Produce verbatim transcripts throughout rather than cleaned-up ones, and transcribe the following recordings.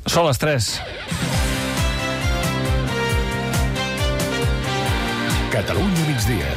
Són les tres. Catalunya migdia.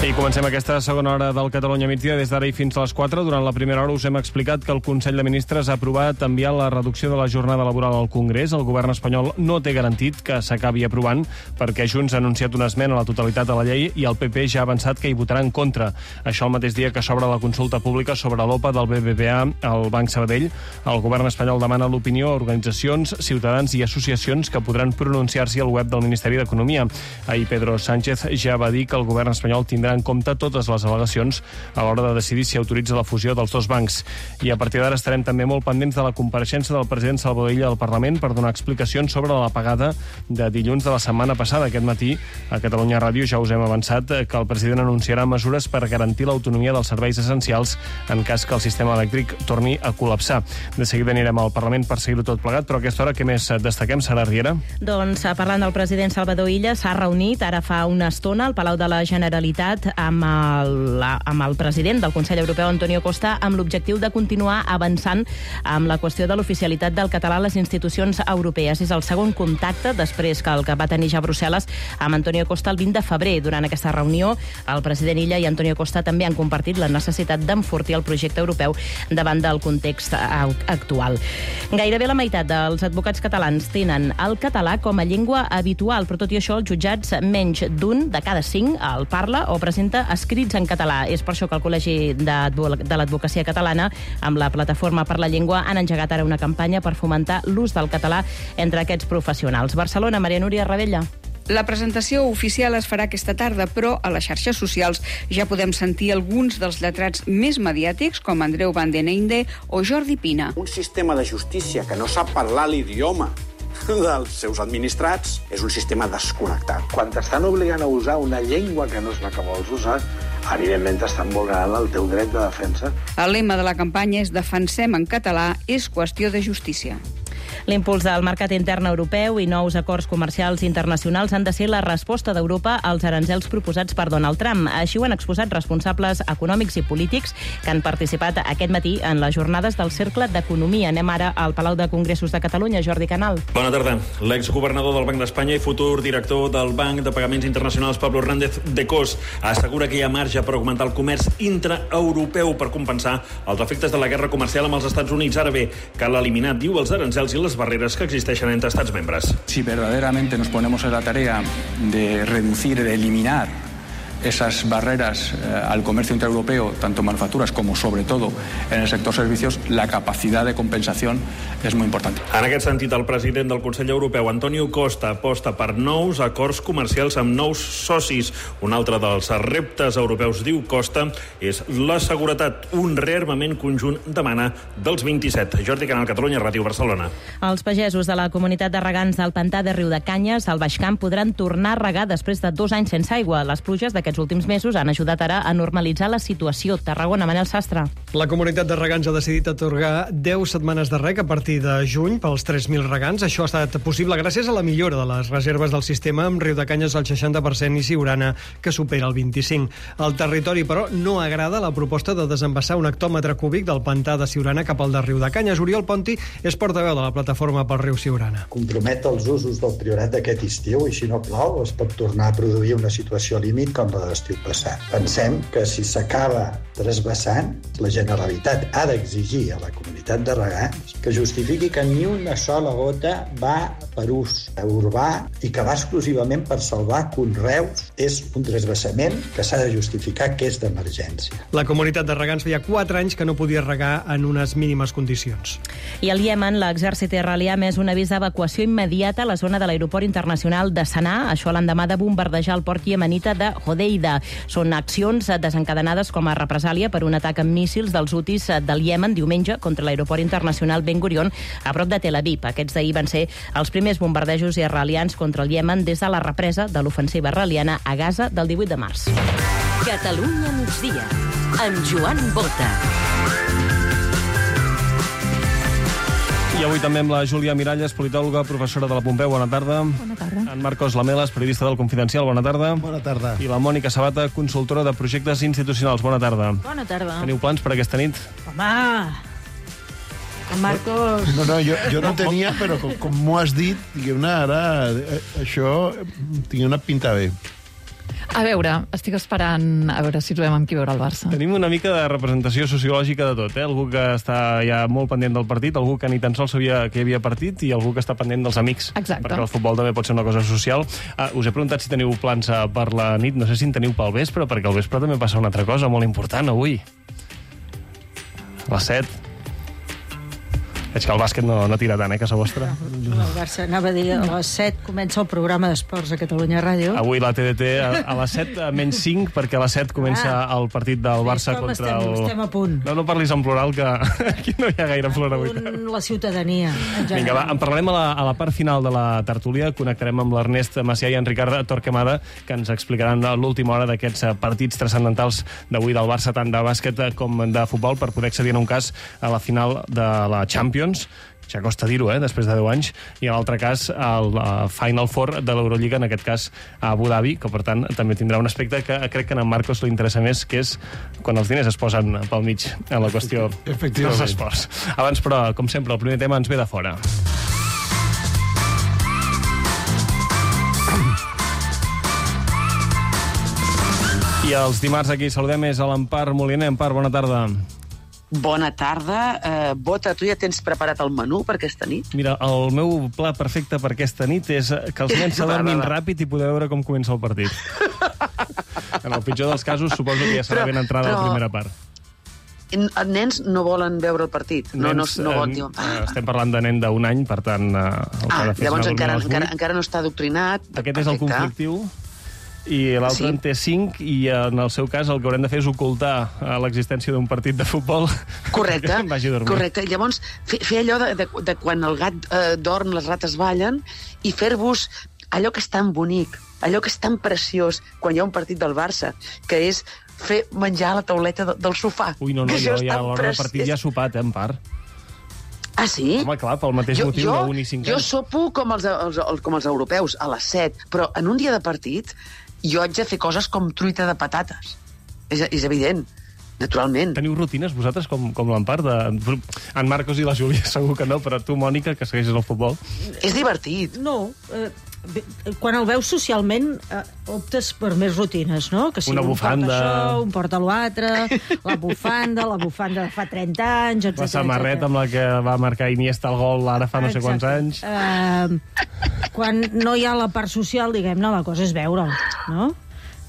I comencem aquesta segona hora del Catalunya migdia. Des d'ara i fins a les quatre. Durant la primera hora us hem explicat que el Consell de Ministres ha aprovat enviar la reducció de la jornada laboral al Congrés. El govern espanyol no té garantit que s'acabi aprovant perquè Junts ha anunciat una esmena a la totalitat de la llei i el P P ja ha avançat que hi votarà en contra. Això el mateix dia que s'obre la consulta pública sobre l'O P A del B B V A al Banc Sabadell. El govern espanyol demana l'opinió a organitzacions, ciutadans i associacions que podran pronunciar-s'hi al web del Ministeri d'Economia. Ahir Pedro Sánchez ja va dir que el govern espanyol tindrà en compte totes les al·legacions a l'hora de decidir si autoritza la fusió dels dos bancs. I a partir d'ara estarem també molt pendents de la compareixença del president Salvador Illa al Parlament per donar explicacions sobre l'apagada de dilluns de la setmana passada. Aquest matí a Catalunya Ràdio ja us hem avançat que el president anunciarà mesures per garantir l'autonomia dels serveis essencials en cas que el sistema elèctric torni a col·lapsar. De seguida anirem al Parlament per seguir-ho tot plegat, però a aquesta hora què més destaquem, Sara Riera? Doncs parlant del president Salvador Illa, s'ha reunit ara fa una estona al Palau de la Generalitat amb el, amb el president del Consell Europeu, Antonio Costa, amb l'objectiu de continuar avançant amb la qüestió de l'oficialitat del català a les institucions europees. És el segon contacte després que el que va tenir ja a Brussel·les amb Antonio Costa el vint de febrer. Durant aquesta reunió, el president Illa i Antonio Costa també han compartit la necessitat d'enfortir el projecte europeu davant del context actual. Gairebé la meitat dels advocats catalans tenen el català com a llengua habitual, però tot i això els jutjats menys d'un de cada cinc el parla o presenta escrits en català. És per això que el Col·legi de l'Advocacia Catalana, amb la Plataforma per la Llengua, han engegat ara una campanya per fomentar l'ús del català entre aquests professionals. Barcelona, Maria Núria Ravella. La presentació oficial es farà aquesta tarda, però a les xarxes socials ja podem sentir alguns dels lletrats més mediàtics, com Andreu Van den Einde o Jordi Pina. Un sistema de justícia que no sap parlar l'idioma dels seus administrats és un sistema desconnectat. Quan t'estan obligant a usar una llengua que no és la que vols usar, evidentment t'estan vulnerant el teu dret de defensa. El lema de la campanya és Defensem en català, és qüestió de justícia. L'impuls del mercat intern europeu i nous acords comercials internacionals han de ser la resposta d'Europa als aranzels proposats per Donald Trump. Així ho han exposat responsables econòmics i polítics que han participat aquest matí en les jornades del Cercle d'Economia. Anem ara al Palau de Congressos de Catalunya. Jordi Canal. Bona tarda. L'exgovernador del Banc d'Espanya i futur director del Banc de Pagaments Internacionals, Pablo Hernández de Cos, assegura que hi ha marge per augmentar el comerç intraeuropeu per compensar els efectes de la guerra comercial amb els Estats Units. Ara bé, cal eliminar, diu, els aranzels i les barreres que existeixen entre estats membres. Si verdaderamente nos ponemos en la tarea de reducir, de eliminar esas barreras eh, al comercio intraeuropeo, tanto manufacturas como sobre todo en el sector servicios, la capacidad de compensación és molt important. En aquest sentit, el president del Consell Europeu, Antonio Costa, aposta per nous acords comercials amb nous socis. Un altre dels reptes europeus, diu Costa, és la seguretat. Un rearmament conjunt demana dels vint-i-set. Jordi Canal, Catalunya Ràdio, Barcelona. Els pagesos de la comunitat de regants del pantà de Riudecanyes, al Baix Camp, podran tornar a regar després de dos anys sense aigua. Les pluges d'aquests aquests últims mesos han ajudat ara a normalitzar la situació. Tarragona, Manel Sastre. La comunitat de regants ha decidit atorgar deu setmanes de reg a partir de juny pels tres mil regants. Això ha estat possible gràcies a la millora de les reserves del sistema, amb Riudecanyes al seixanta per cent i Siurana, que supera el vint-i-cinc. El territori, però, no agrada la proposta de desembassar un hectòmetre cúbic del pantà de Siurana cap al de Riudecanyes. Oriol Ponti és portaveu de la plataforma pel riu Siurana. Compromet els usos del Priorat d'aquest estiu i, si no plau, es pot tornar a produir una situació límit com la de l'estiu passat. Pensem que si s'acaba trasbassant, la Generalitat ha d'exigir a la comunitat de regants que justifiqui que ni una sola gota va per ús urbà i que va exclusivament per salvar conreus. És un trasbassament que s'ha de justificar que és d'emergència. La comunitat de regants feia quatre anys que no podia regar en unes mínimes condicions. I al Iemen, l'exèrcit israelià ha emès un avís d'evacuació immediata a la zona de l'aeroport internacional de Sanà, això a l'endemà de bombardejar el port iemenita de Hodeida. Són accions desencadenades com a represàlia per un atac amb míssils dels hutis del Iemen diumenge contra l'aeroport internacional Ben Gurion a prop de Tel Aviv. Aquests d'ahir van ser els primers bombardejos israelians contra el Iemen des de la represa de l'ofensiva israeliana a Gaza del divuit de març. Catalunya migdia, amb Joan Bota. I avui també amb la Júlia Miralles, politòloga, professora de la Pompeu. Bona tarda. Bona tarda. En Marcos Lamelas, periodista del Confidencial. Bona tarda. Bona tarda. I la Mònica Sabata, consultora de projectes institucionals. Bona tarda. Bona tarda. Teniu plans per aquesta nit? Home, Marcos... No, no, jo, jo no tenia, però com, com m'ho has dit, diguem-ne, ara eh, això tinc una pinta bé. A veure, estic esperant a veure si trobem amb qui veure el Barça. Tenim una mica de representació sociològica de tot, eh? Algú que està ja molt pendent del partit, algú que ni tan sols sabia que hi havia partit i algú que està pendent dels amics. Exacte. Perquè el futbol també pot ser una cosa social. Uh, us he preguntat si teniu plans per la nit, no sé si en teniu pel vespre, perquè al vespre també passa una altra cosa molt important avui. A les set. Veig que el bàsquet no, no tira tant, eh, casa vostra. El Barça, anava a dir, a les set comença el programa d'esports a Catalunya Ràdio. Avui la T D T a, a les set menys cinc, perquè a les set comença ah. el partit del Barça contra estem, el... estem a punt. No, no parlis en plural, que aquí no hi ha gaire plora avui. La ciutadania. Vinga, va, en parlarem a la, a la part final de la tertúlia. Connectarem amb l'Ernest Macià i en Ricard Torquemada, que ens explicaran l'última hora d'aquests partits transcendentals d'avui del Barça, tant de bàsquet com de futbol, per poder accedir en un cas a la final de la Champions. Ja costa dir-ho, eh, després de deu anys, i en l'altre cas el uh, Final Four de l'Eurolliga, en aquest cas a Abu Dhabi, que per tant també tindrà un aspecte que crec que a en Marcos li interessa més, que és quan els diners es posen pel mig en la qüestió dels esports. Abans, però, com sempre, el primer tema ens ve de fora. I els dimarts aquí saludem és a l'Empar Moliner. Empar, bona tarda. Bona tarda. Uh, Bota, tu ja tens preparat el menú per aquesta nit? Mira, el meu pla perfecte per aquesta nit és que els nens s'adormin ràpid i poder veure com comença el partit. En el pitjor dels casos, suposo que ja serà ben entrada però... la primera part. Els nens no volen veure el partit. No, nens, no, no volen, diuen, ah. Estem parlant de nen d'un any, per tant... El que ah, ha de fer llavors encara, encara, encara no està adoctrinat. Aquest perfecte. És el conflictiu. I l'altre sí. En té cinc, i en el seu cas el que haurem de fer és ocultar l'existència d'un partit de futbol. Correcte, que vagi a dormir. Correcte. Llavors, fer, fer allò de, de, de quan el gat eh, dorm, les rates ballen, i fer-vos allò que és tan bonic, allò que és tan preciós quan hi ha un partit del Barça, que és fer menjar a la tauleta de, del sofà. Ui, no, no, jo ja a l'hora del partit ja he sopat, eh, en part. Ah, sí? Home, clar, pel mateix jo, motiu jo, d'un i cinc anys. Jo sopo com els, els, els, com els europeus, a les set, però en un dia de partit jo haig de fer coses com truita de patates. És, és evident, naturalment. Teniu rutines, vosaltres, com, com l'Empar? De... En Marcos i la Júlia segur que no, però tu, Mònica, que segueixes el futbol. És divertit. No, eh, quan el veus socialment eh, optes per més rutines, no? Que si una bufanda... un porta això, un porta l'altre, la bufanda, la bufanda de fa trenta anys, etcètera. La samarreta amb la que va marcar Iniesta el gol ara fa no sé quants anys. Uh, quan no hi ha la part social, diguem-ne, la cosa és veure'l, no?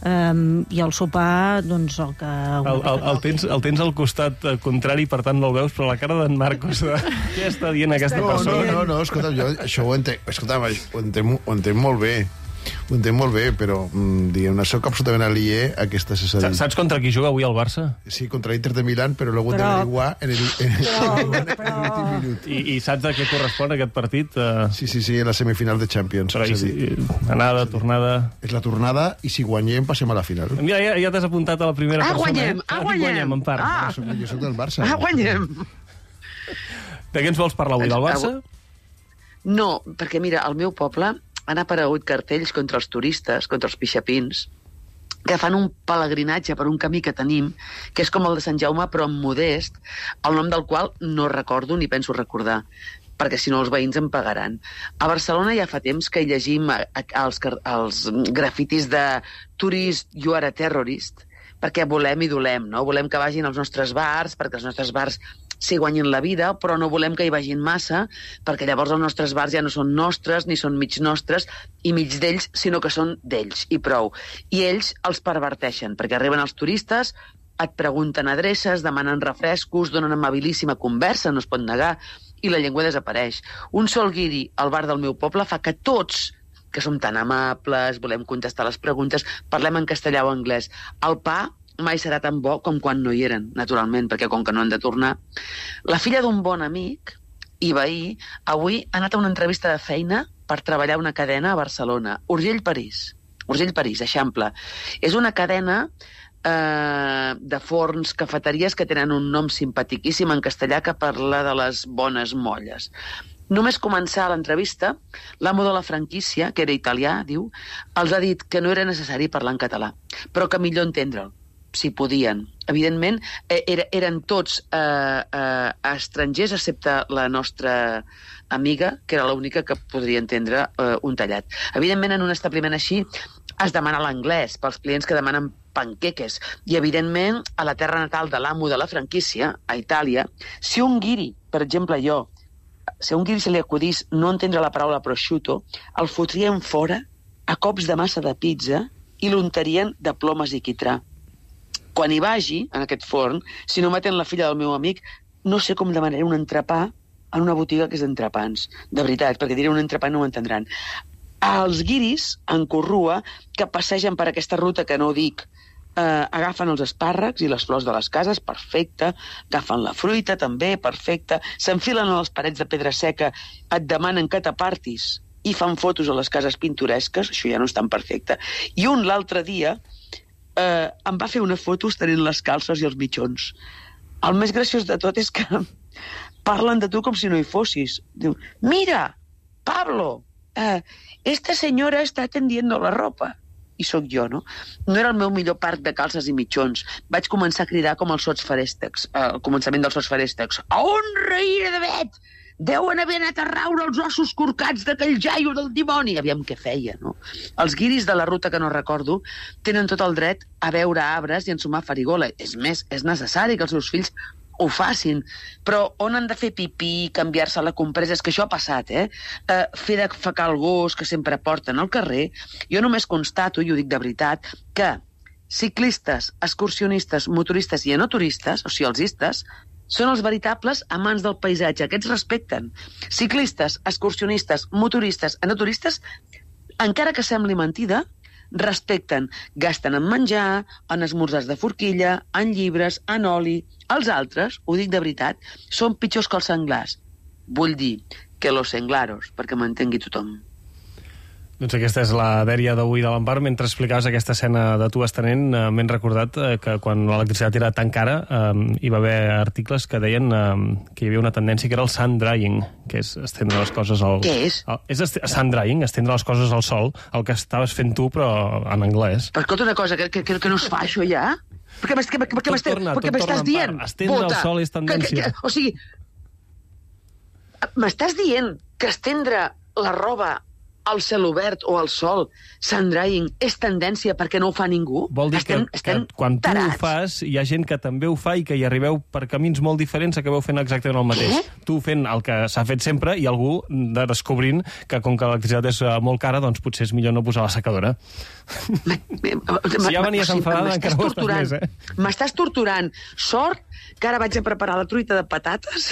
Um, I el sopar, doncs, el que... El, el, el, tens, el tens al costat contrari, per tant no el veus, però la cara d'en Marcos, de... què està dient aquesta no, persona? No, no, no, escolta, jo això ho entenc, escolta, ho entenc, ho entenc molt bé. Ho entenc molt bé, però mm, diguem-ne, soc absolutament alié a aquesta cessadilla. Saps contra qui juga avui el Barça? Sí, contra l'Inter de Milán, però luego però... te igual en el, en, però, en, però... en l'últim minut. I, I saps a què correspon aquest partit? Uh... Sí, sí, sí, en la semifinal de Champions. Però, és i, anada, tornada... És la tornada, i si guanyem, passem a la final. Mira, ja, ja t'has apuntat a la primera ah, persona. Guanyem, ah, guanyem! guanyem, en part. Ah, jo, soc, jo soc del Barça. Ah, guanyem! De què ens vols parlar avui, del Barça? No, perquè, mira, al meu poble han aparegut cartells contra els turistes, contra els pixapins, que fan un pelegrinatge per un camí que tenim, que és com el de Sant Jaume, però en modest, el nom del qual no recordo ni penso recordar, perquè si no els veïns em pagaran. A Barcelona ja fa temps que hi llegim els, els grafitis de Tourist, you are a terrorist, perquè volem i dolem, no? Volem que vagin als nostres bars, perquè els nostres bars s'hi guanyin la vida, però no volem que hi vagin massa, perquè llavors els nostres bars ja no són nostres, ni són mig nostres, i mig d'ells, sinó que són d'ells, i prou. I ells els perverteixen, perquè arriben els turistes, et pregunten adreces, demanen refrescos, donen amabilíssima conversa, no es pot negar, i la llengua desapareix. Un sol guiri al bar del meu poble fa que tots, que som tan amables, volem contestar les preguntes, parlem en castellà o anglès. El pa mai serà tan bo com quan no hi eren, naturalment, perquè com que no han de tornar. La filla d'un bon amic i veí avui ha anat a una entrevista de feina per treballar una cadena a Barcelona, Urgell París. Urgell París, Eixample. És una cadena eh, de forns, cafeteries que tenen un nom simpatiquíssim en castellà que parla de les bones molles. Només començar l'entrevista, l'amo de la franquícia, que era italià, diu, els ha dit que no era necessari parlar en català, però que millor entendre'l. si podien. Evidentment, era, eren tots eh, eh, estrangers, excepte la nostra amiga, que era l'única que podria entendre eh, un tallat. Evidentment, en un establiment així es demana l'anglès pels clients que demanen panqueques. I, evidentment, a la terra natal de l'amo de la franquícia, a Itàlia, si un guiri, per exemple jo, si a un guiri se li acudís no entendre la paraula prosciutto, el fotrien fora a cops de massa de pizza i l'untarien de plomes i quitrà. Quan hi vagi, en aquest forn, si no m'atén la filla del meu amic, no sé com demanaré un entrepà en una botiga que és d'entrepans. De veritat, perquè diré un entrepà no ho entendran. Els guiris, en Corrua, que passegen per aquesta ruta que no dic, eh, agafen els espàrrecs i les flors de les cases, perfecte, agafen la fruita, també, perfecte, s'enfilen a les parets de pedra seca, et demanen que t'apartis i fan fotos a les cases pintoresques, això ja no és tan perfecte. I un l'altre dia eh, em va fer una foto estenent les calces i els mitjons. El més graciós de tot és que parlen de tu com si no hi fossis. Diu, mira, Pablo, eh, esta senyora està tendiendo la ropa. I sóc jo, no? No era el meu millor parc de calces i mitjons. Vaig començar a cridar com els sots farèstecs, eh, al començament dels sots farèstecs. A on reïra de vet? Deuen haver anat a raure els ossos corcats d'aquell jaio del dimoni. Aviam què feia, no? Els guiris de la ruta que no recordo tenen tot el dret a veure arbres i ensumar farigola. És més, és necessari que els seus fills ho facin, però on han de fer pipí, canviar-se la compresa, és que això ha passat, eh? eh fer de fecar el gos que sempre porten al carrer. Jo només constato, i ho dic de veritat, que ciclistes, excursionistes, motoristes i enoturistes, o sigui, els istes, són els veritables amants del paisatge, aquests respecten. Ciclistes, excursionistes, motoristes, enoturistes, encara que sembli mentida, respecten, gasten en menjar, en esmorzars de forquilla, en llibres, en oli. Els altres, ho dic de veritat, són pitjors que els senglars. Vull dir que los senglaros, perquè m'entengui tothom. Doncs aquesta és la dèria d'avui de l'Empar. Mentre explicaves aquesta escena de tu estenent, eh, m'he recordat eh, que quan l'electricitat era tan cara eh, hi va haver articles que deien eh, que hi havia una tendència que era el sun drying, que és estendre les coses al... Què és? Al, és est sun drying, estendre les coses al sol, el que estaves fent tu, però en anglès. Però escolta una cosa, que, que, que no es fa això ja? Perquè m'estàs dient... Estendre al sol és tendència. Que, que, o sigui, m'estàs dient que estendre la roba al cel obert o al sol, sun drying, és tendència perquè no ho fa ningú? Vol dir estem, que, estem que quan tarats. tu ho fas, hi ha gent que també ho fa i que hi arribeu per camins molt diferents, acabeu fent exactament el mateix. Què? Tu fent el que s'ha fet sempre i algú de descobrint que com que l'electricitat és molt cara, doncs potser és millor no posar la secadora. Si ja venies enfadada, encara ho estàs més, eh? M'estàs torturant. Sort que ara vaig a preparar la truita de patates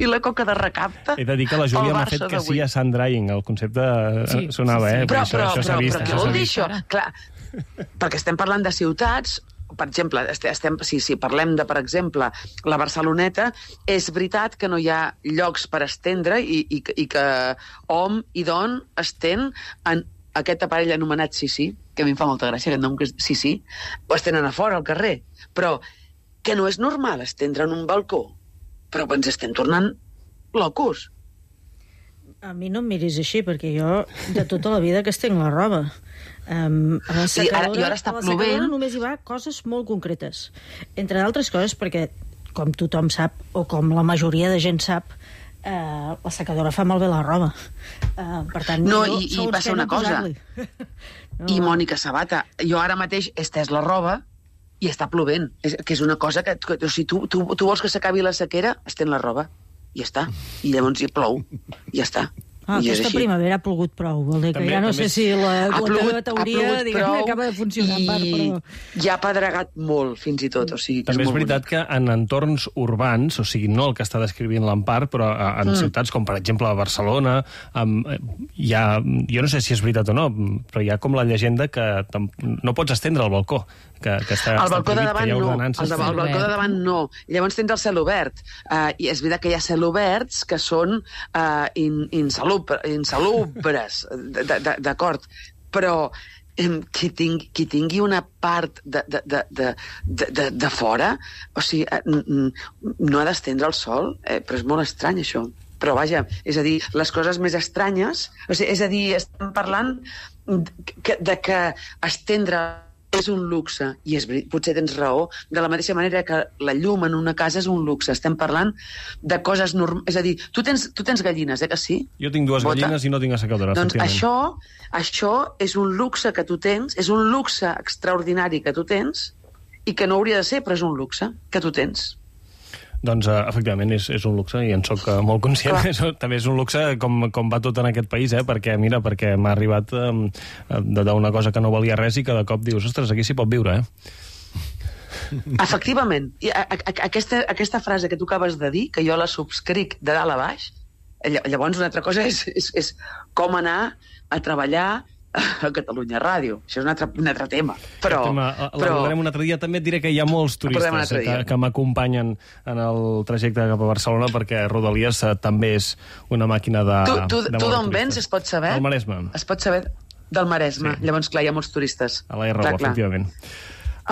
i la coca de recapte. He de dir que la Júlia m'ha fet que sí a sun drying. El concepte sí, sonava, sí, sí. eh? Però, això, però, això però, vist, però què vol dir això? Clar, perquè estem parlant de ciutats, per exemple, estem, si, si parlem de, per exemple, la Barceloneta, és veritat que no hi ha llocs per estendre i, i, i que hom i don estén en aquest aparell anomenat Sissi, que a mi em fa molta gràcia, aquest nom que és Sissi, o estenen a fora, al carrer. Però que no és normal estendre en un balcó, però ens estem tornant locos. A mi no em miris així, perquè jo de tota la vida que estenc la roba. Um, a la secadora, I ara, i ara està a la plovent. secadora només hi va coses molt concretes. Entre d'altres coses, perquè, com tothom sap, o com la majoria de gent sap, uh, la secadora fa malbé la roba. Uh, per tant, no, jo, i, i passa una cosa. No. I Mònica Sabata, jo ara mateix he estès la roba i està plovent, és, que és una cosa que, que o sigui, tu, tu, tu vols que s'acabi la sequera, estén la roba, i ja està. I llavors hi plou, i ja està. Ah, I aquesta primavera ha plogut prou, vol dir que també, ja no sé si la, la teva teoria diguem, acaba de funcionar en part, però... ja ha pedregat molt, fins i tot. O sigui, també és, és veritat bonic. Que en entorns urbans, o sigui, no el que està descrivint l'Empar, però en mm. ciutats com, per exemple, a Barcelona, um, hi ha, jo no sé si és veritat o no, però hi ha com la llegenda que no pots estendre al balcó, que, que està, el està balcó de davant no, el, de, el balcó de davant no. Llavors tens el cel obert. Uh, I és veritat que hi ha cel oberts que són uh, in, insalubres, insalubres, d'acord, però qui tingui, qui tingui una part de, de, de, de, de, de fora, o sigui, no ha d'estendre el sol, eh, però és molt estrany això. Però vaja, és a dir, les coses més estranyes, o sigui, és a dir, estem parlant de que, de que estendre és un luxe, i és, potser tens raó, de la mateixa manera que la llum en una casa és un luxe. Estem parlant de coses normals. És a dir, tu tens, tu tens gallines, eh, que sí? Jo tinc dues Bota? gallines i no tinc assecadora, Doncs efectivament. això, això és un luxe que tu tens, és un luxe extraordinari que tu tens, i que no hauria de ser, però és un luxe que tu tens. Doncs, uh, efectivament, és, és un luxe, i en soc uh, molt conscient. Això també és un luxe, com, com va tot en aquest país, eh? Perquè, mira, perquè m'ha arribat um, d'una cosa que no valia res i que de cop dius, ostres, aquí s'hi pot viure, eh? Efectivament. I a, a, aquesta, aquesta frase que tu acabes de dir, que jo la subscric de dalt a baix, llavors una altra cosa és, és, és com anar a treballar a Catalunya Ràdio. Això és un altre, un altre tema. Però, tema, però... un altre dia. També et diré que hi ha molts turistes que, que m'acompanyen en el trajecte cap a Barcelona, perquè Rodalies eh, també és una màquina de... Tu, tu, de tu d'on vens, es pot saber? Del Maresme. Es pot saber del Maresme. Sí. Llavors, clar, hi ha molts turistes. A la R U, efectivament.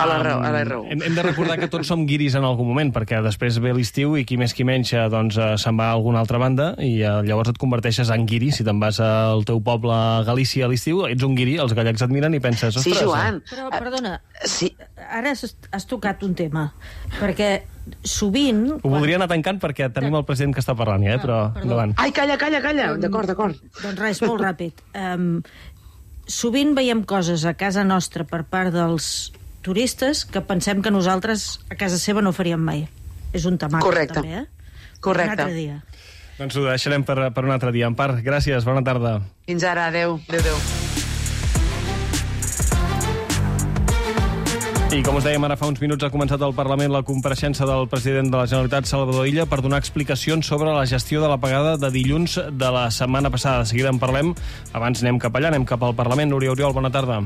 A la R U, a la R U. Hem, hem de recordar que tots som guiris en algun moment, perquè després ve l'estiu i qui més qui menys doncs, se'n va a alguna altra banda, i eh, llavors et converteixes en guiri. Si te'n vas al teu poble a Galícia a l'estiu, ets un guiri, els gallecs et miren i penses, ostres... Sí, Joan. Però, perdona, sí. Ara has, has tocat un tema, perquè sovint... Ho quan... voldria anar tancant perquè tenim el president que està parlant, ja, eh? Però ah, endavant. Ai, calla, calla, calla. Um, d'acord, d'acord. Doncs res, molt ràpid. Um, sovint veiem coses a casa nostra per part dels turistes que pensem que nosaltres a casa seva no faríem mai. És un tamaco, correcte. també, eh? Correcte. Un altre dia. Doncs ho deixarem per, per un altre dia. Empar, gràcies, bona tarda. Fins ara, adeu. Adeu, adeu. I com us dèiem, ara fa uns minuts ha començat al Parlament la compareixença del president de la Generalitat, Salvador Illa, per donar explicacions sobre la gestió de la pagada de dilluns de la setmana passada. De seguida en parlem. Abans anem cap allà, anem cap al Parlament. Núria Oriol, bona tarda.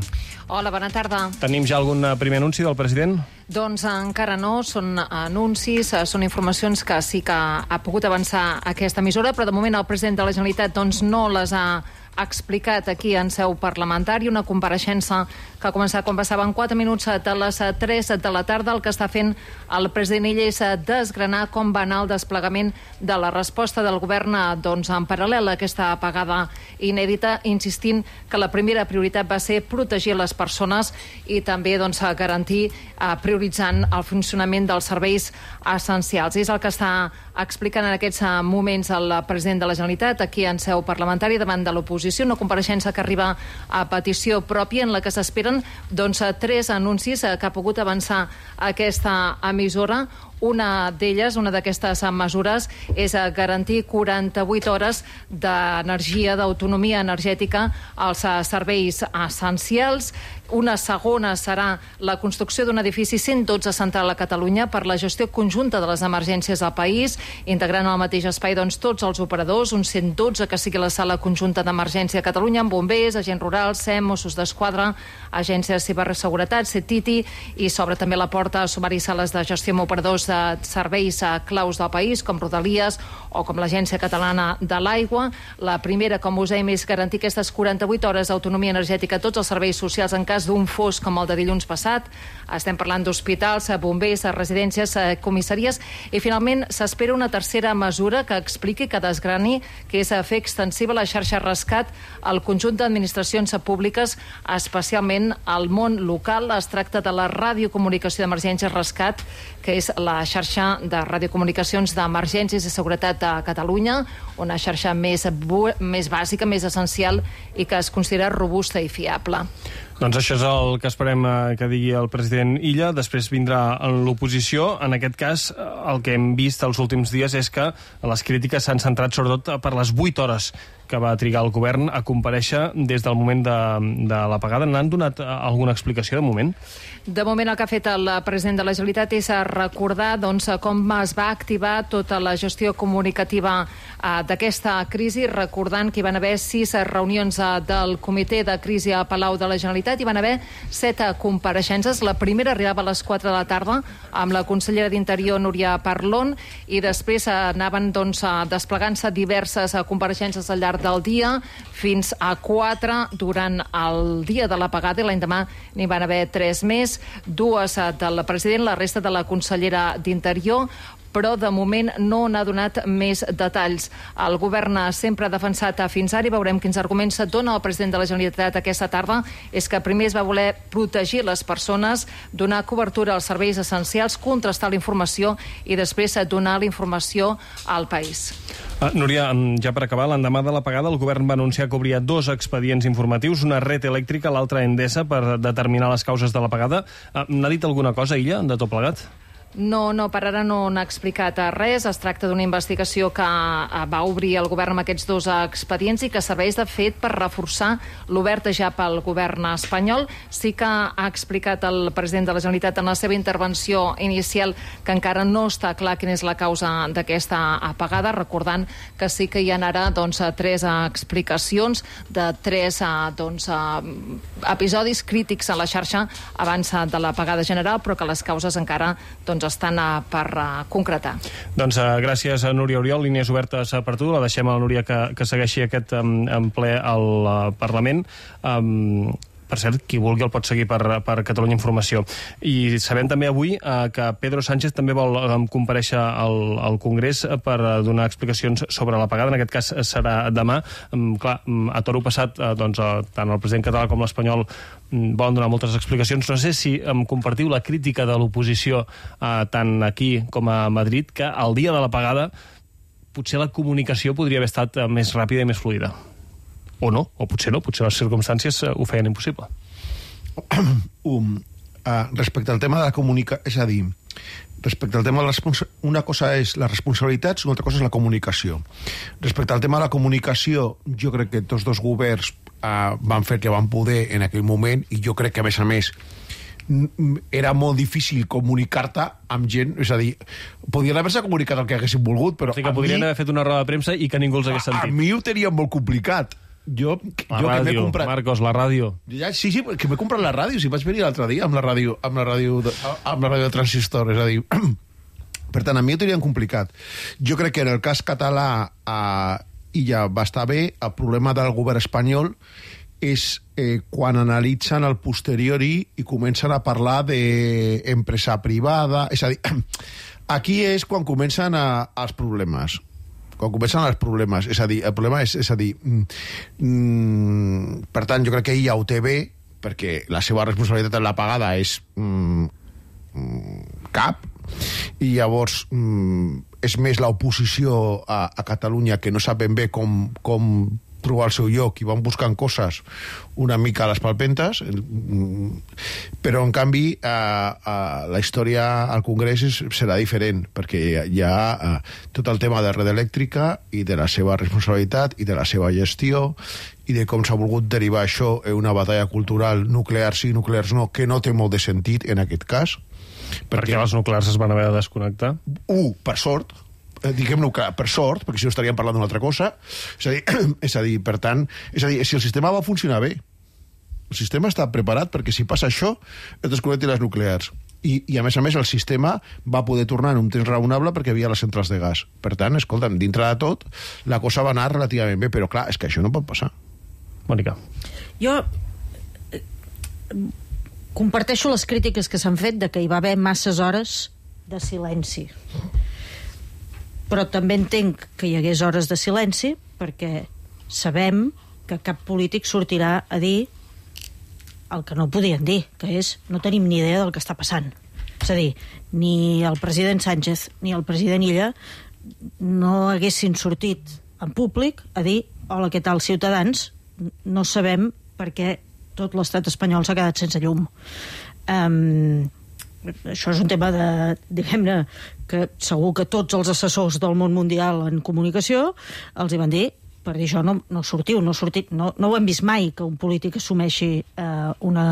Hola, bona tarda. Tenim ja algun primer anunci del president? Doncs encara no, són anuncis, són informacions que sí que ha pogut avançar aquesta emissora, però de moment el president de la Generalitat doncs, no les ha ha explicat aquí en seu parlamentària, una compareixença que ha començat quan passaven quatre minuts de les tres de la tarda. El que està fent el president Illa és desgranar com va anar el desplegament de la resposta del govern doncs, en paral·lel a aquesta apagada inèdita, insistint que la primera prioritat va ser protegir les persones i també doncs, garantir, eh, prioritzant el funcionament dels serveis essencials. És el que està explicant en aquests moments el president de la Generalitat aquí en seu parlamentària davant de l'oposició, una compareixença que arriba a petició pròpia en la que s'esperen doncs, tres anuncis que ha pogut avançar aquesta emissora. Una d'elles, una d'aquestes mesures, és garantir quaranta-vuit hores d'energia, d'autonomia energètica als serveis essencials. Una segona serà la construcció d'un edifici cent dotze central a Catalunya per la gestió conjunta de les emergències al país, integrant al mateix espai doncs, tots els operadors, un cent dotze que sigui la sala conjunta d'emergència a Catalunya, amb bombers, agents rurals, S E M, Mossos d'Esquadra, agències de ciberseguretat, CETITI, i s'obre també la porta a sumar-hi sales de gestió amb operadors de serveis claus del país, com Rodalies o com l'Agència Catalana de l'Aigua. La primera, com us dèiem, és garantir aquestes quaranta-vuit hores d'autonomia energètica a tots els serveis socials en cas d'un fos com el de dilluns passat. Estem parlant d'hospitals, bombers, residències, comissaries, i finalment s'espera una tercera mesura que expliqui, que desgrani, que és fer extensiva la xarxa rescat al conjunt d'administracions públiques, especialment al món local. Es tracta de la radiocomunicació d'emergències rescat, que és la xarxa de radiocomunicacions d'emergències i seguretat de Catalunya, una xarxa més, més bàsica, més essencial i que es considera robusta i fiable. Doncs això és el que esperem que digui el president Illa. Després vindrà en l'oposició. En aquest cas, el que hem vist els últims dies és que les crítiques s'han centrat sobretot per les vuit hores que va trigar el govern a comparèixer des del moment de, de l'apagada. N'han donat alguna explicació de moment? De moment el que ha fet el president de la Generalitat és recordar doncs, com es va activar tota la gestió comunicativa eh, d'aquesta crisi, recordant que hi van haver sis reunions eh, del comitè de crisi a Palau de la Generalitat, hi van haver set compareixences. La primera arribava a les quatre de la tarda amb la consellera d'Interior, Núria Parlon, i després eh, anaven doncs, desplegant-se diverses eh, compareixences al llarg del dia, fins a quatre durant el dia de l'apagada, i l'endemà n'hi van haver tres més, dues del president, la resta de la consellera d'Interior. però de moment no n'ha donat més detalls. El govern sempre ha defensat fins ara, i veurem quins arguments dona el president de la Generalitat aquesta tarda, és que primer es va voler protegir les persones, donar cobertura als serveis essencials, contrastar la informació i després donar la informació al país. Uh, Núria, ja per acabar, l'endemà de l'apagada el govern va anunciar que obria dos expedients informatius, una Red Elèctrica, l'altra Endesa, per determinar les causes de l'apagada. Uh, N'ha dit alguna cosa, Illa, de tot plegat? No, no, per ara no n'ha explicat res. Es tracta d'una investigació que va obrir el govern amb aquests dos expedients i que serveix, de fet, per reforçar l'obert ja pel govern espanyol. Sí que ha explicat el president de la Generalitat en la seva intervenció inicial que encara no està clar quina és la causa d'aquesta apagada, recordant que sí que hi ha ara doncs, tres explicacions de tres doncs, episodis crítics a la xarxa abans de l'apagada general, però que les causes encara doncs, estan uh, per uh, concretar. Doncs uh, gràcies a Núria Oriol, línies obertes uh, per tu, la deixem a la Núria que, que segueixi aquest um, en ple al uh, Parlament. Um, per cert, qui vulgui el pot seguir per, per Catalunya Informació. I sabem també avui eh, que Pedro Sánchez també vol eh, comparèixer al, al Congrés per eh, donar explicacions sobre l'apagada. En aquest cas serà demà. Um, clar, a toro passat, eh, doncs, eh, tant el president català com l'espanyol um, volen donar moltes explicacions. No sé si um, compartiu la crítica de l'oposició eh, tant aquí com a Madrid, que el dia de l'apagada potser la comunicació podria haver estat eh, més ràpida i més fluida. O no, o potser no, potser les circumstàncies ho feien impossible. Um, uh, respecte al tema de la comunicació, és a dir, respecte al tema de la responsabilitat, una cosa és les responsabilitats i una altra cosa és la comunicació. Respecte al tema de la comunicació, jo crec que tots dos governs uh, van fer que van poder en aquell moment, i jo crec que, a més a més, era molt difícil comunicar-te amb gent, és a dir, podien haver-se comunicat el que haguessin volgut, però... O sigui que podrien mi, haver fet una roda de premsa i que ningú els hagués sentit. A, a mi ho tenia molt complicat. Jo, la jo ràdio, que comprat... Marcos, la ràdio. Ja, sí, sí, que m'he comprat la ràdio, si vaig venir l'altre dia amb la ràdio, amb la ràdio, de, amb la ràdio de transistor, és a dir... Per tant, a mi ho tenien complicat. Jo crec que en el cas català eh, i ja va estar bé, el problema del govern espanyol és eh, quan analitzen el posteriori i comencen a parlar d'empresa privada, és a dir, aquí és quan comencen a, els problemes. Quan comencen els problemes, és a dir, el problema és, és a dir, mm, per tant, jo crec que ella ho té bé, perquè la seva responsabilitat en la pagada és mm, cap, i llavors mm, és més l'oposició a, a Catalunya que no sap ben bé com, com trobar el seu lloc i van buscant coses una mica a les palpentes, però en canvi eh, eh, la història al Congrés és, serà diferent, perquè hi ha eh, tot el tema de Red Elèctrica i de la seva responsabilitat i de la seva gestió i de com s'ha volgut derivar això en una batalla cultural nuclear sí, nuclears no, que no té molt de sentit en aquest cas. Perquè, perquè les nuclears es van haver de desconnectar? Un, per sort, diguem-ne que per sort, perquè si no estaríem parlant d'una altra cosa, és a dir, és a dir, per tant, és a dir, si el sistema va funcionar bé, el sistema està preparat perquè si passa això, es desconnectin les nuclears. I, i a més a més el sistema va poder tornar en un temps raonable perquè hi havia les centrals de gas. Per tant, escolta'm, dintre de tot, la cosa va anar relativament bé, però clar, és que això no pot passar. Mònica. Jo eh, comparteixo les crítiques que s'han fet de que hi va haver masses hores de silenci. Però també entenc que hi hagués hores de silenci perquè sabem que cap polític sortirà a dir el que no podien dir, que és no tenim ni idea del que està passant. És a dir, ni el president Sánchez ni el president Illa no haguessin sortit en públic a dir hola, què tal, ciutadans? No sabem per què tot l'estat espanyol s'ha quedat sense llum. Um, això és un tema de, diguem-ne, que segur que tots els assessors del món mundial en comunicació els hi van dir, per dir això no, no sortiu, no, sortit, no, no ho hem vist mai que un polític assumeixi eh, una,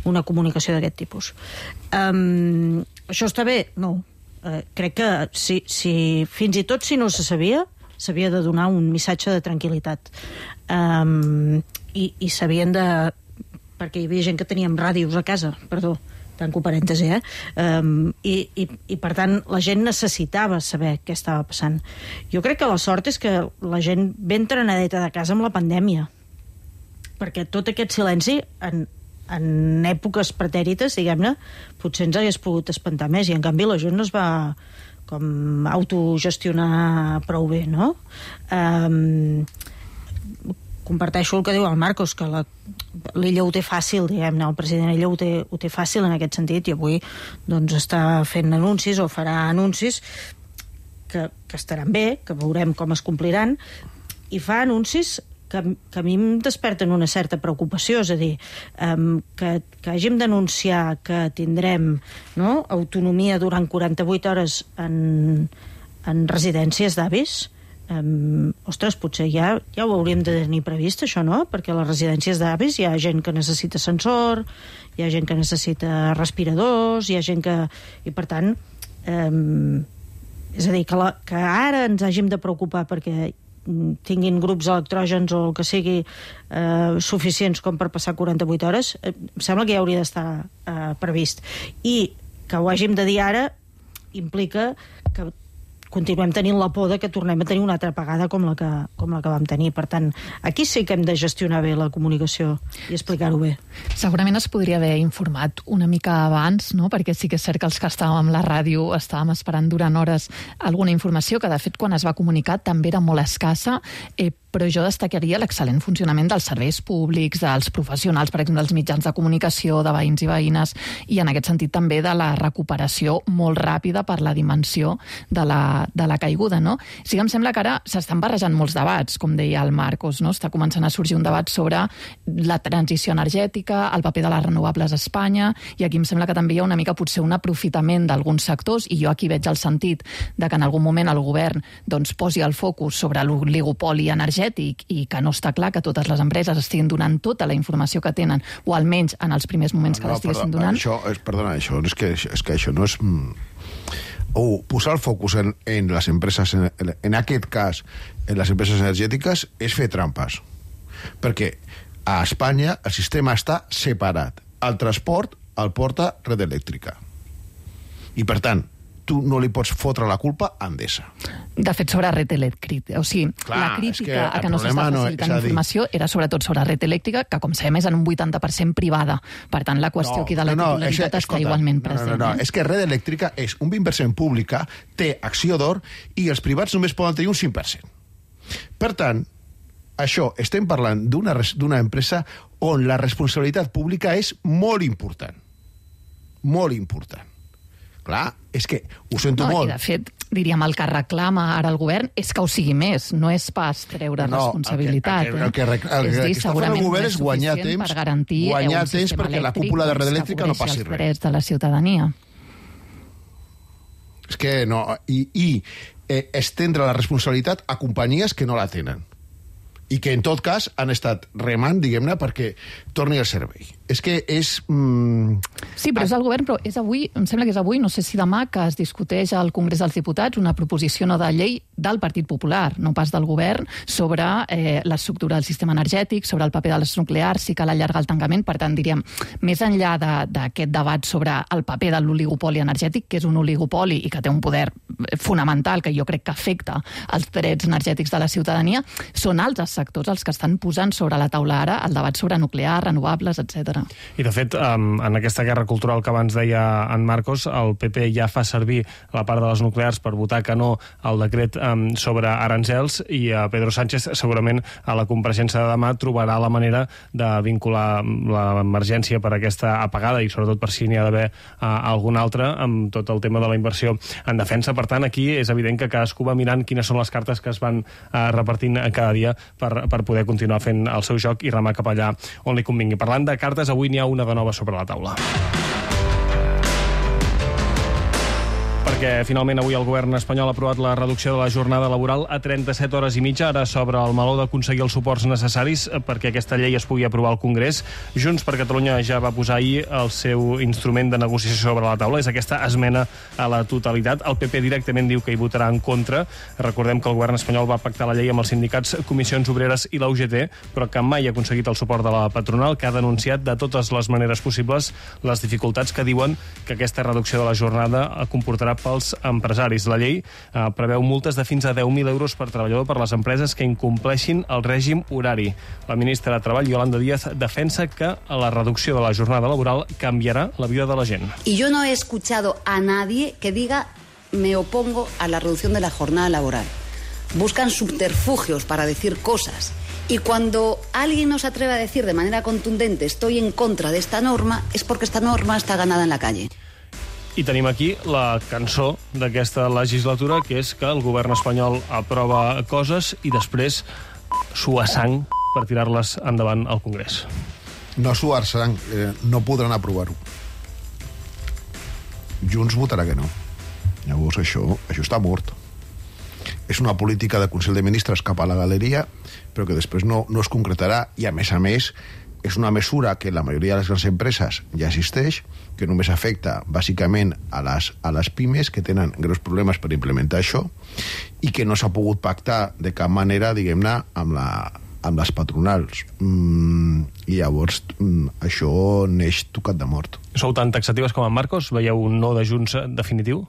una comunicació d'aquest tipus. Um, això està bé? No. Uh, crec que si, si, fins i tot si no se sabia, s'havia de donar un missatge de tranquil·litat. Um, i, i s'havien de... perquè hi havia gent que teníem ràdios a casa, perdó, tanco parèntesi, eh? Um, i, i, I, per tant, la gent necessitava saber què estava passant. Jo crec que la sort és que la gent ben trenadeta de casa amb la pandèmia, perquè tot aquest silenci, en, en èpoques pretèrites, diguem-ne, potser ens hagués pogut espantar més, i en canvi la gent no es va com autogestionar prou bé, no? Um, comparteixo el que diu el Marcos, que l'Illa ho té fàcil, diguem-ne, el president Illa ho té, ho té fàcil en aquest sentit, i avui doncs, està fent anuncis o farà anuncis que, que estaran bé, que veurem com es compliran, i fa anuncis que, que a mi em desperten una certa preocupació, és a dir, um, que, que hàgim d'anunciar que tindrem, no, autonomia durant quaranta-vuit hores en, en residències d'avis. Um, ostres, potser ja, ja ho hauríem de tenir previst, això, no? Perquè a les residències d'avis hi ha gent que necessita ascensor, hi ha gent que necessita respiradors, hi ha gent que... I, per tant, um, és a dir, que, la, que ara ens hàgim de preocupar perquè tinguin grups electrògens o el que sigui eh, suficients com per passar quaranta-vuit hores, eh, em sembla que ja hauria d'estar eh, previst. I que ho hàgim de dir ara implica que continuem tenint la por de que tornem a tenir una altra apagada com la que, com la que vam tenir. Per tant, aquí sí que hem de gestionar bé la comunicació i explicar-ho bé. Segurament es podria haver informat una mica abans, no? Perquè sí que és cert que els que estàvem a la ràdio estàvem esperant durant hores alguna informació que, de fet, quan es va comunicar també era molt escassa, eh, però jo destacaria l'excel·lent funcionament dels serveis públics, dels professionals, per exemple, dels mitjans de comunicació, de veïns i veïnes, i en aquest sentit també de la recuperació molt ràpida per la dimensió de la, de la caiguda, no? Sí que em sembla que ara s'estan barrejant molts debats, com deia el Marcos, no? Està començant a sorgir un debat sobre la transició energètica, el paper de les renovables a Espanya, i aquí em sembla que també hi ha una mica potser un aprofitament d'alguns sectors, i jo aquí veig el sentit de que en algun moment el govern doncs, posi el focus sobre l'oligopoli energètic i que no està clar que totes les empreses estiguin donant tota la informació que tenen, o almenys en els primers moments que no, l'estiguessin donant. Això, és, perdona, això, és que, és que això no és... Oh, posar el focus en, en les empreses, en, en aquest cas, en les empreses energètiques, és fer trampes. Perquè a Espanya el sistema està separat. El transport el porta Red Elèctrica. I, per tant, tu no li pots fotre la culpa a Endesa. De fet, sobre Red Elèctrica. O sigui, clar, la crítica que a que no s'està facilitant no, informació dir... era sobretot sobre Red Elèctrica, que, com sabem, és en un vuitanta per cent privada. Per tant, la qüestió no, aquí de la no, titularitat no, és, està escolta, igualment present. No, no, no, no. És que Red Elèctrica és un vint per cent pública, té acció d'or, i els privats només poden tenir un cinc per cent. Per tant, això, estem parlant d'una d'una empresa on la responsabilitat pública és molt important. Molt important. Clar, és que ho sento no, molt. I, de fet, diríem, el que reclama ara el govern és que ho sigui més, no és pas treure no, responsabilitat. El que, el que, el que, el que, el que està fent el govern és guanyar temps, per garantir guanyar temps perquè la cúpula de Red Elèctrica no passi res. Els drets de la ciutadania. És que no... I, i eh, estendre la responsabilitat a companyies que no la tenen. I que, en tot cas, han estat remant, diguem-ne, perquè torni al servei. És que és... Mm... Sí, però és el govern, però és avui, em sembla que és avui, no sé si demà, que es discuteix al Congrés dels Diputats una proposició no de llei del Partit Popular, no pas del govern, sobre eh, l'estructura del sistema energètic, sobre el paper de les nuclears, si cal allargar el tancament. Per tant, diríem, més enllà d'aquest debat sobre el paper de l'oligopoli energètic, que és un oligopoli i que té un poder fonamental que jo crec que afecta els drets energètics de la ciutadania, són altres sectors els que estan posant sobre la taula ara el debat sobre nuclear, renovables, etcètera. I, de fet, en aquesta guerra cultural que abans deia en Marcos, el P P ja fa servir la part de les nuclears per votar que no al decret sobre aranzels, i Pedro Sánchez segurament a la compareixença de demà trobarà la manera de vincular l'emergència per aquesta apagada, i sobretot per si n'hi ha d'haver alguna altra, amb tot el tema de la inversió en defensa. Per tant, aquí és evident que cadascú va mirant quines són les cartes que es van repartint cada dia per, per poder continuar fent el seu joc i remar cap allà on li convingui. Parlant de cartes, avui n'hi ha una de nova sobre la taula. Perquè finalment avui el govern espanyol ha aprovat la reducció de la jornada laboral a trenta-set hores i mitja. Ara s'obre el meló d'aconseguir els suports necessaris perquè aquesta llei es pugui aprovar al Congrés. Junts per Catalunya ja va posar ahir el seu instrument de negociació sobre la taula. És aquesta esmena a la totalitat. El P P directament diu que hi votarà en contra. Recordem que el govern espanyol va pactar la llei amb els sindicats, Comissions Obreres i la U G T, però que mai ha aconseguit el suport de la patronal, que ha denunciat de totes les maneres possibles les dificultats que diuen que aquesta reducció de la jornada comportarà pels empresaris. La llei eh, preveu multes de fins a deu mil euros per treballador per les empreses que incompleixin el règim horari. La ministra de Treball, Yolanda Díaz, defensa que la reducció de la jornada laboral canviarà la vida de la gent. Y yo no he escuchado a nadie que diga me opongo a la reducción de la jornada laboral. Buscan subterfugios para decir cosas. Y cuando alguien nos atreve a decir de manera contundente estoy en contra de esta norma, es porque esta norma está ganada en la calle. I tenim aquí la cançó d'aquesta legislatura, que és que el govern espanyol aprova coses i després sua sang per tirar-les endavant al Congrés. No suar sang, eh, no podran aprovar-ho. Junts votarà que no. Llavors això, això està mort. És una política de Consell de Ministres cap a la galeria, però que després no, no es concretarà, i a més a més és una mesura que la majoria de les grans empreses ja existeix, que només afecta bàsicament a les, a les pimes, que tenen greus problemes per implementar això, i que no s'ha pogut pactar de cap manera, diguem-ne, amb, la, amb les patronals. Mm, I llavors mm, això neix tocat de mort. Sou tan taxatives com en Marcos? Veieu un no de Junts definitiu?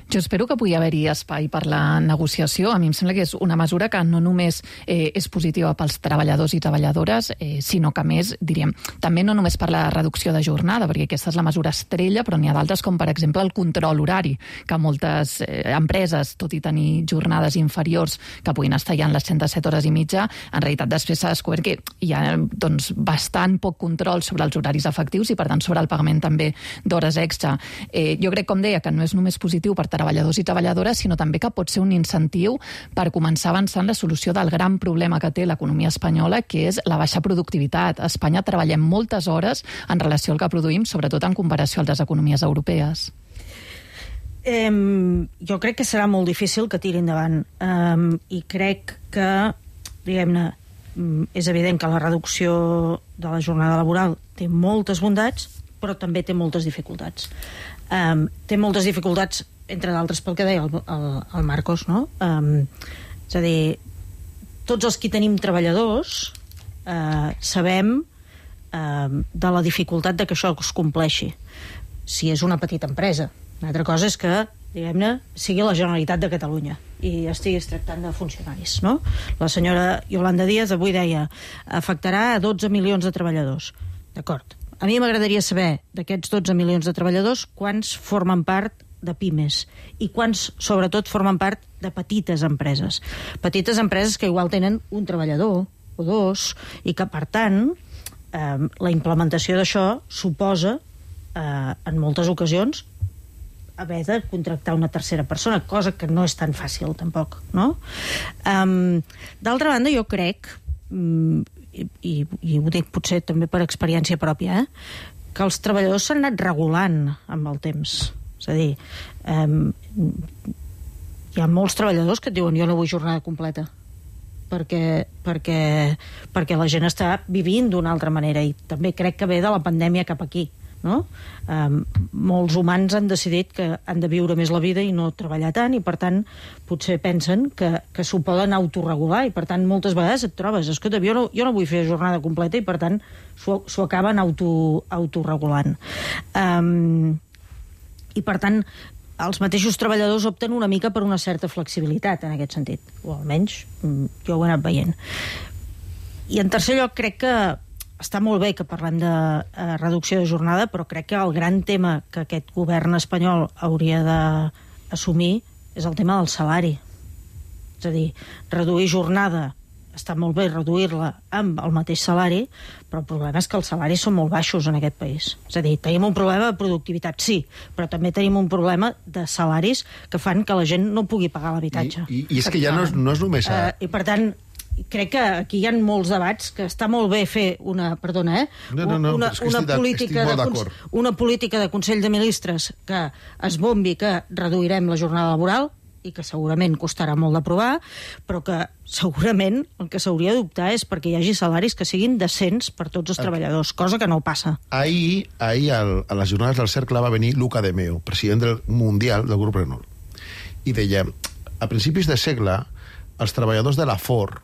Jo espero que pugui haver-hi espai per la negociació. A mi em sembla que és una mesura que no només eh, és positiva pels treballadors i treballadores, eh, sinó que, més, diríem, també no només per la reducció de jornada, perquè aquesta és la mesura estrella, però n'hi ha d'altres, com per exemple el control horari, que moltes eh, empreses, tot i tenir jornades inferiors que puguin estar ja en les trenta-set hores i mitja, en realitat després s'ha descobert que hi ha doncs, bastant poc control sobre els horaris efectius i, per tant, sobre el pagament també d'hores extra. Eh, jo crec, com deia, que no és només positiu per treballadors i treballadores, sinó també que pot ser un incentiu per començar a avançar en la solució del gran problema que té l'economia espanyola, que és la baixa productivitat. A Espanya treballem moltes hores en relació al que produïm, sobretot en comparació a les economies europees. Eh, jo crec que serà molt difícil que tiri endavant. Eh, I crec que, diguem-ne, és evident que la reducció de la jornada laboral té moltes bondats, però també té moltes dificultats. Eh, té moltes dificultats entre d'altres pel que deia el, el, el Marcos, no? Um, és a dir, tots els que tenim treballadors uh, sabem uh, de la dificultat de que això es compleixi, si és una petita empresa. Una altra cosa és que, diguem-ne, sigui la Generalitat de Catalunya i estiguis tractant de funcionaris, no? La senyora Yolanda Díaz avui deia afectarà a dotze milions de treballadors. D'acord. A mi m'agradaria saber d'aquests dotze milions de treballadors quants formen part de pimes i quants, sobretot, formen part de petites empreses. Petites empreses que igual tenen un treballador o dos i que, per tant, eh, la implementació d'això suposa, eh, en moltes ocasions, haver de contractar una tercera persona, cosa que no és tan fàcil, tampoc, no? Um, d'altra banda, jo crec, um, i, i, i ho dic potser també per experiència pròpia, eh, que els treballadors s'han anat regulant amb el temps. És a dir, eh, hi ha molts treballadors que et diuen jo no vull jornada completa perquè, perquè, perquè la gent està vivint d'una altra manera, i també crec que ve de la pandèmia cap aquí, no? Eh, molts humans han decidit que han de viure més la vida i no treballar tant, i per tant potser pensen que, que s'ho poden autorregular, i per tant moltes vegades et trobes, escolta, jo no, jo no vull fer jornada completa, i per tant s'ho acaben auto, autorregulant. Eh, i per tant els mateixos treballadors opten una mica per una certa flexibilitat en aquest sentit, o almenys jo ho he anat veient. I en tercer lloc, crec que està molt bé que parlem de eh, reducció de jornada, però crec que el gran tema que aquest govern espanyol hauria d'assumir és el tema del salari. És a dir, reduir jornada està molt bé, reduir-la amb el mateix salari, però el problema és que els salaris són molt baixos en aquest país. És a dir, tenim un problema de productivitat, sí, però també tenim un problema de salaris que fan que la gent no pugui pagar l'habitatge. I, i, I és que ja no és, no és només... A... Uh, I per tant, crec que aquí hi ha molts debats que està molt bé fer una, perdona, eh? No, no, no, una, una, política de, una política de Consell de Ministres que es bombi que reduirem la jornada laboral, i que segurament costarà molt d'aprovar, però que segurament el que s'hauria d'optar és perquè hi hagi salaris que siguin decents per tots els treballadors, cosa que no passa. Ahir, ahir al, a les jornades del Cercle va venir Luca de Meo, president del Mundial del grup Renault, i deia, a principis de segle, els treballadors de la Ford,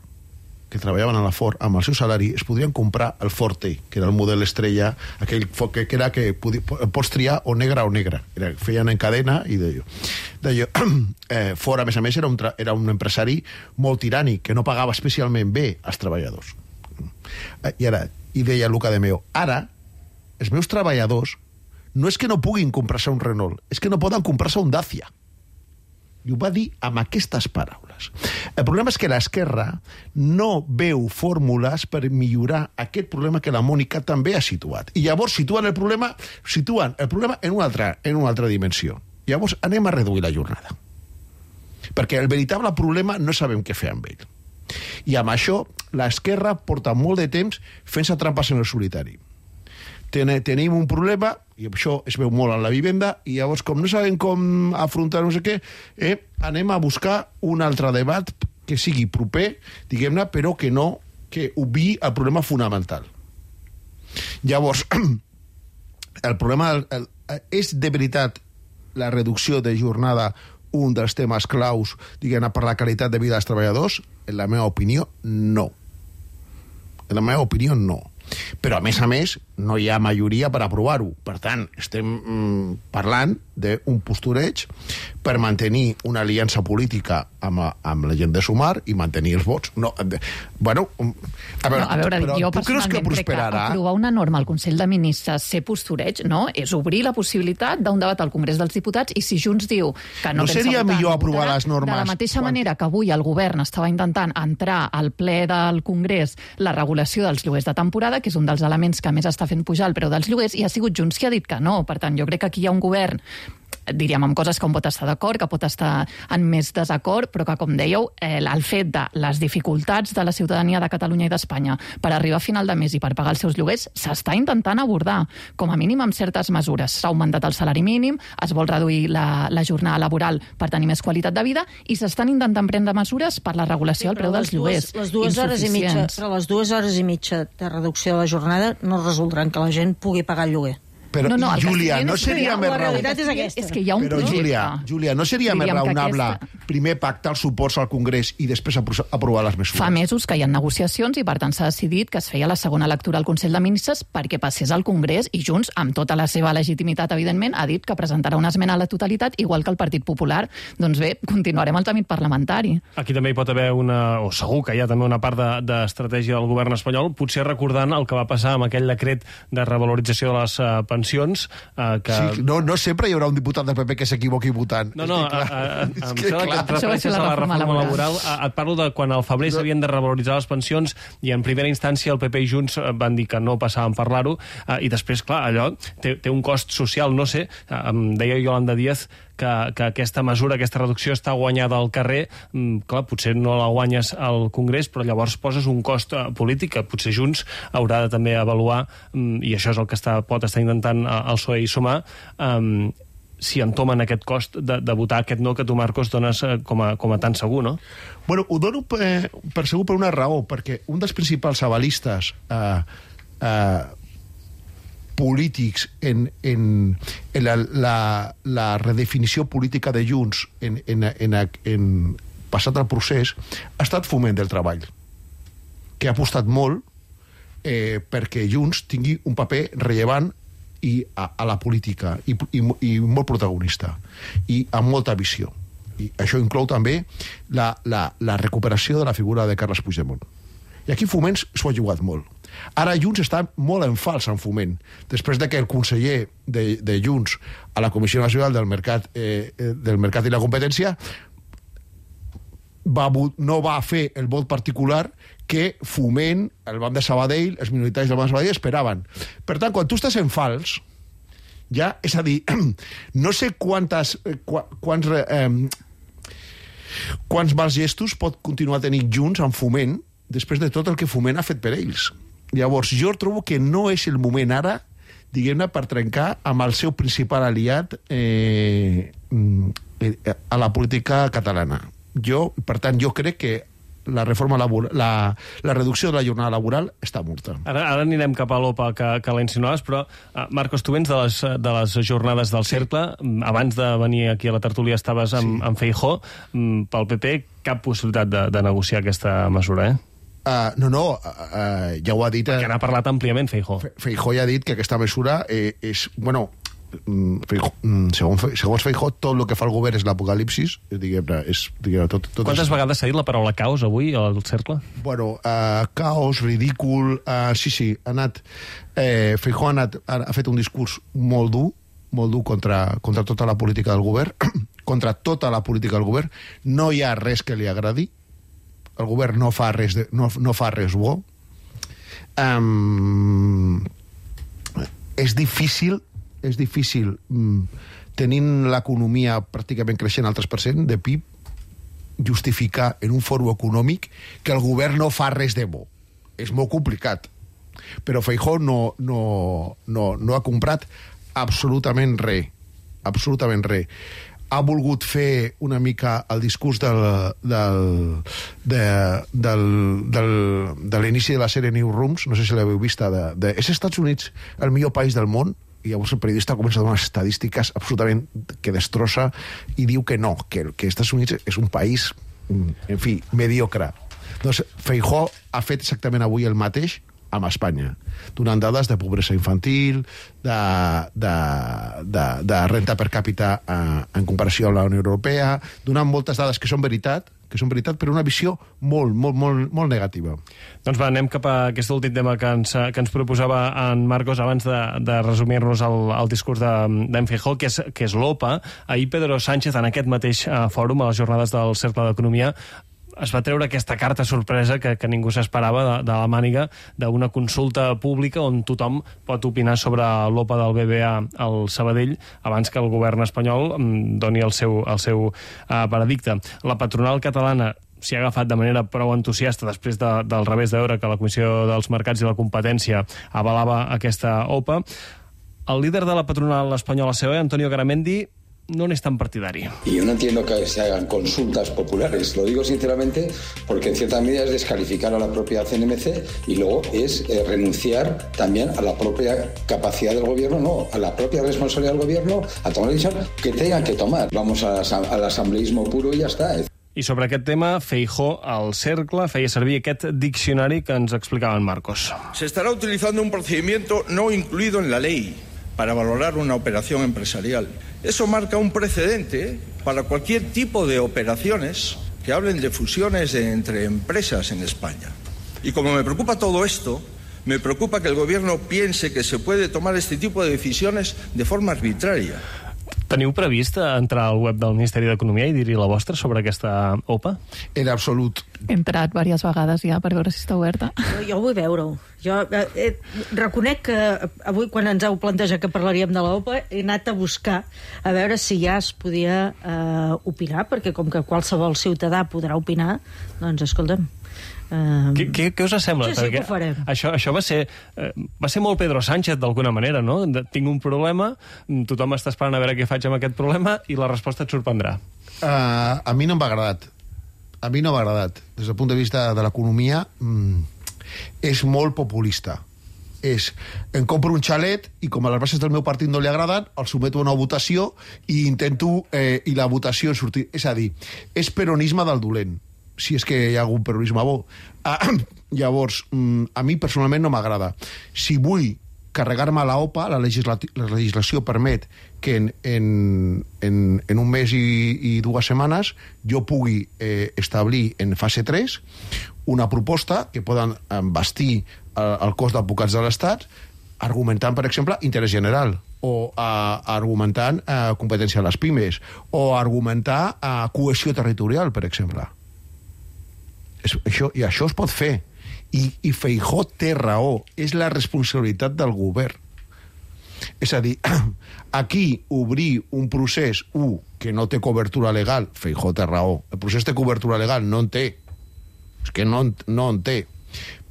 que treballaven a la Ford, amb el seu salari, es podrien comprar el Forte, que era el model estrella, aquell que, que era que podi, pots triar o negra o negra. Era, feien en cadena i deia... deia eh, Ford, a més a més, era un, era un empresari molt tirànic, que no pagava especialment bé als treballadors. Eh, I ara, i deia Luca de Meo, ara, els meus treballadors no és que no puguin comprar-se un Renault, és que no poden comprar-se un Dacia. I ho va dir amb aquestes paraules. El problema és que l'esquerra no veu fórmules per millorar aquest problema que la Mònica també ha situat. I llavors situen el problema, situen el problema en una altra, en una altra dimensió. Llavors anem a reduir la jornada. Perquè el veritable problema no sabem què fer amb ell. I amb això l'esquerra porta molt de temps fent-se trampes en el solitari. Tenim un problema, i això es veu molt en la vivenda, i llavors, com no sabem com afrontar no sé què, eh, anem a buscar un altre debat que sigui proper, diguem-ne, però que no, que obviï el problema fonamental. Llavors, el problema el, el, és de veritat la reducció de jornada un dels temes claus, diguem-ne, per la qualitat de vida dels treballadors? En la meva opinió, no. En la meva opinió, no. Però, a més a més, no hi ha majoria per aprovar-ho. Per tant, estem mm, parlant d'un postureig per mantenir una aliança política amb, amb la gent de Sumar i mantenir els vots. No, de, bueno, a veure, no, a veure però jo tu creus que prosperarà? Aprovar una norma al Consell de Ministres, ser postureig, no? És obrir la possibilitat d'un debat al Congrés dels Diputats, i si Junts diu que no, no pensa seria votar, millor no aprovar votarà, les normes de la mateixa quan... manera que avui el govern estava intentant entrar al ple del Congrés la regulació dels lloguers de temporada, que és un dels elements que més està fent pujar el preu dels lloguers, i ha sigut Junts qui ha dit que no. Per tant, jo crec que aquí hi ha un govern, diríem, amb coses que un pot estar d'acord, que pot estar en més desacord, però que, com dèieu, eh, el fet de les dificultats de la ciutadania de Catalunya i d'Espanya per arribar a final de mes i per pagar els seus lloguers s'està intentant abordar, com a mínim amb certes mesures. S'ha augmentat el salari mínim, es vol reduir la, la jornada laboral per tenir més qualitat de vida, i s'estan intentant prendre mesures per la regulació del preu dels lloguers. Les dues hores i mitja, però les dues hores i mitja de reducció de la jornada no resoldran que la gent pugui pagar el lloguer. Però, no, no, Júlia, no seria més raonable... La realitat és aquesta. És que hi ha un Però, projecte. Júlia, Júlia, no seria més raonable aquesta... primer pactar els suports al Congrés i després aprovar les mesures? Fa mesos que hi ha negociacions i, per tant, s'ha decidit que es feia la segona lectura al Consell de Ministres perquè passés al Congrés, i Junts, amb tota la seva legitimitat, evidentment, ha dit que presentarà una esmena a la totalitat, igual que el Partit Popular. Doncs bé, continuarem el tràmit parlamentari. Aquí també hi pot haver una, o segur que hi ha també una part d'estratègia de, del govern espanyol, potser recordant el que va passar amb aquell decret de revalorització de les uh, pensions, que... Sí, no, no sempre hi haurà un diputat del P P que s'equivoqui votant. No, no, a, a, a, em que, sembla que et refereixes a la reforma laboral. laboral. A, et parlo de quan al febrer s'havien no. de revaloritzar les pensions i en primera instància el P P i Junts van dir que no passaven parlar-ho, i després, clar, allò té, té un cost social, no sé, em deia Yolanda Díaz que, que aquesta mesura, aquesta reducció està guanyada al carrer, clar, potser no la guanyes al Congrés, però llavors poses un cost polític que potser Junts haurà de també avaluar, i això és el que està, pot estar intentant el P S O E i Sumar, um, si entomen aquest cost de, de votar aquest no que tu, Marcos, dones com a, com a tan segur, no? Bueno, ho dono per, per segur per una raó, perquè un dels principals avalistes eh, eh, polítics en, en, en la, la, la redefinició política de Junts en, en, en, en passat el procés ha estat Foment del Treball, que ha apostat molt eh, perquè Junts tingui un paper rellevant i a, a la política i, i, i molt protagonista i amb molta visió, i això inclou també la, la, la recuperació de la figura de Carles Puigdemont, i aquí Foment s'ho ha jugat molt. Ara Junts està molt en fals en Foment, després de que el conseller de, de Junts a la Comissió Nacional del Mercat, eh, del Mercat i la Competència va, no va fer el vot particular que Foment, el banc de Sabadell, els minoritaris del banc de Sabadell esperaven. Per tant, quan tu estàs en fals, ja, és a dir, no sé quantes, quants, eh, quants mals gestos pot continuar tenint Junts en Foment després de tot el que Foment ha fet per ells. Llavors, jo trobo que no és el moment ara, diguem-ne, per trencar amb el seu principal aliat eh, a la política catalana. Jo, per tant, jo crec que la reforma laboral, la, la reducció de la jornada laboral està morta. Ara, ara anirem cap a l'O P A que, que la insinuaves, però, uh, Marcos, tu vens de les, de les jornades del Cercle. Sí. Abans de venir aquí a la tertúlia estaves amb, sí. amb Feijóo. Pel P P, cap possibilitat de, de negociar aquesta mesura, eh? Uh, no, no, uh, ja ho ha dit... Perquè n'ha parlat àmpliament Feijóo. Feijóo ja ha dit que aquesta mesura eh, és... Bueno, Feijóo, segons, segons Feijóo, tot el que fa el govern és l'apocalipsis. Diguem-ne, és... Diguem tot, tot Quantes és... vegades s'ha dit la paraula caos avui al Cercle? Bueno, uh, caos, ridícul... Uh, sí, sí, ha anat... Eh, Feijóo ha, anat, ha, ha fet un discurs molt dur, molt dur contra, contra tota la política del govern, contra tota la política del govern. No hi ha res que li agradi. El govern no fa res, de, no, no fa res bo. Um, és difícil, és difícil, um, tenint l'economia pràcticament creixent al tres per cent de P I B, justificar en un fòrum econòmic que el govern no fa res de bo. És molt complicat. Però Feijóo no, no, no, no ha comprat absolutament res. Absolutament res. Ha volgut fer una mica el discurs del, del, de, del, del, de l'inici de la sèrie Newsrooms, no sé si l'heu vista, de, de, és Estats Units el millor país del món, i llavors el periodista comença a donar estadístiques absolutament que destrossa i diu que no, que, que Estats Units és un país, en fi, mediocre. Doncs Feijóo ha fet exactament avui el mateix amb Espanya, donant dades de pobresa infantil, de, de, de, de renta per càpita eh, en comparació amb la Unió Europea, donant moltes dades que són veritat, que són veritat, però una visió molt, molt, molt, molt negativa. Doncs va, anem cap a aquest últim tema que ens, que ens proposava en Marcos abans de, de resumir-nos el, el discurs d'en de, Feijóo, que és, que és l'OPA. Ahir Pedro Sánchez, en aquest mateix uh, fòrum, a les jornades del Cercle d'Economia, es va treure aquesta carta sorpresa que, que ningú s'esperava de, de la màniga d'una consulta pública on tothom pot opinar sobre l'OPA del B B A al Sabadell abans que el govern espanyol doni el seu, el seu uh, veredicte. La patronal catalana s'hi ha agafat de manera prou entusiasta després de, del revés de veure que la Comissió dels Mercats i la Competència avalava aquesta OPA. El líder de la patronal espanyola C O E, Antonio Garamendi, no es tan partidario. Y yo no entiendo que se hagan consultas populares, lo digo sinceramente porque en cierta medida es descalificar a la propia C N M C y luego es eh, renunciar también a la propia capacidad del gobierno, no, a la propia responsabilidad del gobierno a tomar la decisión que tengan que tomar. Vamos a, al asambleísmo puro y ya está. I sobre aquest tema, Feijóo, al Cercle, feia servir aquest diccionari que ens explicava en Marcos. Se estará utilizando un procedimiento no incluido en la ley para valorar una operación empresarial. Eso marca un precedente para cualquier tipo de operaciones que hablen de fusiones entre empresas en España. Y como me preocupa todo esto, me preocupa que el gobierno piense que se puede tomar este tipo de decisiones de forma arbitraria. Teniu previst entrar al web del Ministeri d'Economia i dir-hi la vostra sobre aquesta OPA? En absolut. He entrat diverses vegades ja per veure si està oberta. Jo, jo vull veure-ho. Jo eh, eh, reconec que avui, quan ens heu plantejat que parlaríem de l'OPA, he anat a buscar a veure si ja es podia eh, opinar, perquè com que qualsevol ciutadà podrà opinar, doncs escolta'm, Uh, què, què, què us sembla? Sí, sí, que ho farem. Això, això va ser, uh, va ser molt Pedro Sánchez, d'alguna manera, no? De, tinc un problema, tothom està esperant a veure què faig amb aquest problema i la resposta et sorprendrà. Uh, a mi no m'ha agradat. A mi no m'ha agradat. Des del punt de vista de l'economia, mm, és molt populista. És, em compro un xalet i com a les bases del meu partit no li agraden, el someto a una votació i intento, eh, i la votació sortir. És a dir, és peronisme del dolent, si és que hi ha algun peronisme bo. Ah, llavors, a mi personalment no m'agrada. Si vull carregar-me la OPA, la, legisla la legislació permet que en, en, en, en un mes i, i dues setmanes jo pugui eh, establir en fase tres una proposta que poden bastir el, el cos d'advocats de l'Estat argumentant, per exemple, interès general, o uh, argumentant uh, competència a les pimes, o argumentar uh, cohesió territorial, per exemple. És, això, I això es pot fer. I, i Feijóo té raó. És la responsabilitat del govern. És a dir, aquí obrir un procés, un, que no té cobertura legal, Feijóo té raó. El procés té cobertura legal, no en té. És que no, no en té.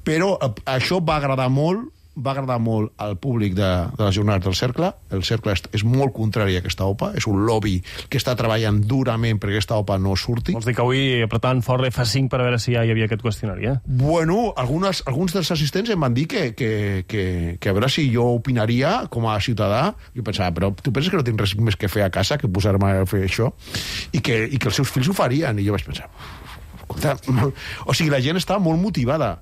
Però això va agradar molt va agradar molt al públic de, de les jornades del Cercle. El Cercle és, és molt contrari a aquesta OPA, és un lobby que està treballant durament perquè aquesta OPA no surti. Vols dir que avui apretant fort l'F cinc per a veure si ja hi havia aquest qüestionari, eh? Bueno, algunes, alguns dels assistents em van dir que, que, que, que a veure si jo opinaria com a ciutadà. Jo pensava, però tu penses que no tinc res més que fer a casa que posar-me a fer això? I que, i que els seus fills ho farien. I jo vaig pensar, escolta, o sigui, la gent està molt motivada.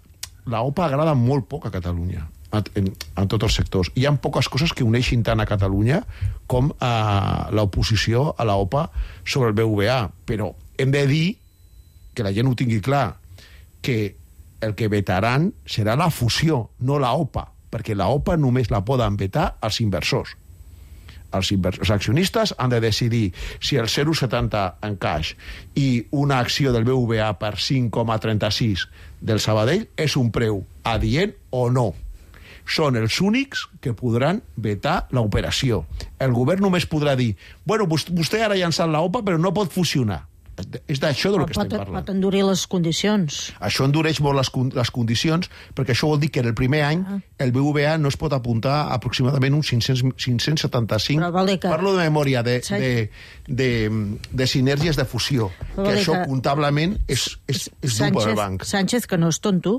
La OPA agrada molt poc a Catalunya. En, en tots els sectors. Hi ha poques coses que uneixin tant a Catalunya com a l'oposició a la OPA sobre el B V A, però hem de dir que la gent ho tingui clar, que el que vetaran serà la fusió, no la OPA, perquè la OPA només la poden vetar els inversors. els, els accionistes han de decidir si el zero coma setanta en caix i una acció del B B V A per cinc coma trenta-sis del Sabadell és un preu adient o no. Són els únics que podran vetar l'operació. El govern només podrà dir bueno, vostè ara ha llançat l'O P A però no pot fusionar. És d'això del que estem parlant. Pot endurir les condicions. Això endureix molt les, les condicions, perquè això vol dir que en el primer any ah. el B B V A no es pot apuntar aproximadament uns cinc-cents setanta-cinc, que... parlo de memòria, de, de, de, de sinergies de fusió, que això que... comptablement és, és, és dur per al banc. Sánchez, que no és tonto,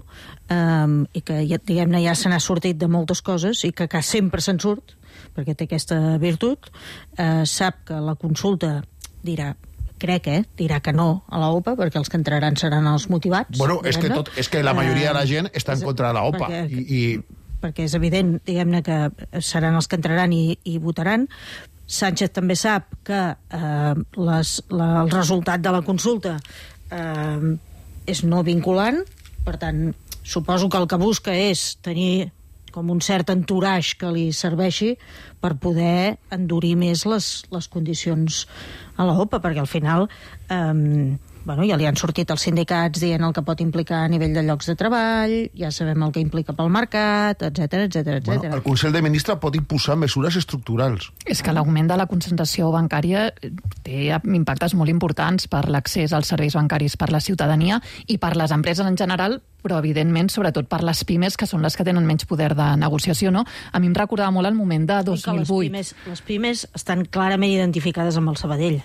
um, i que ja, diguem-ne ja se n'ha sortit de moltes coses, i que, que sempre se'n surt, perquè té aquesta virtut, uh, sap que la consulta dirà crec, eh, dirà que no a l'O P A, perquè els que entraran seran els motivats. Bueno, és que, tot, és que la majoria de la gent està en contra de l'O P A. Perquè, i, i... perquè és evident, diguem-ne, que seran els que entraran i, i votaran. Sánchez també sap que eh, les, la, el resultat de la consulta eh, és no vinculant, per tant, suposo que el que busca és tenir com un cert entourage que li serveixi per poder endurir més les, les condicions a l'O P A, perquè al final eh, bueno, ja li han sortit els sindicats dient el que pot implicar a nivell de llocs de treball, ja sabem el que implica pel mercat, etcètera, etcètera, etcètera. Bueno, el Consell de Ministres pot imposar mesures estructurals. És que l'augment de la concentració bancària té impactes molt importants per l'accés als serveis bancaris per la ciutadania i per les empreses en general, però evidentment sobretot per les pimes, que són les que tenen menys poder de negociació, no? A mi em recordava molt el moment de dos mil vuit. Les pimes, les pimes estan clarament identificades amb el Sabadell.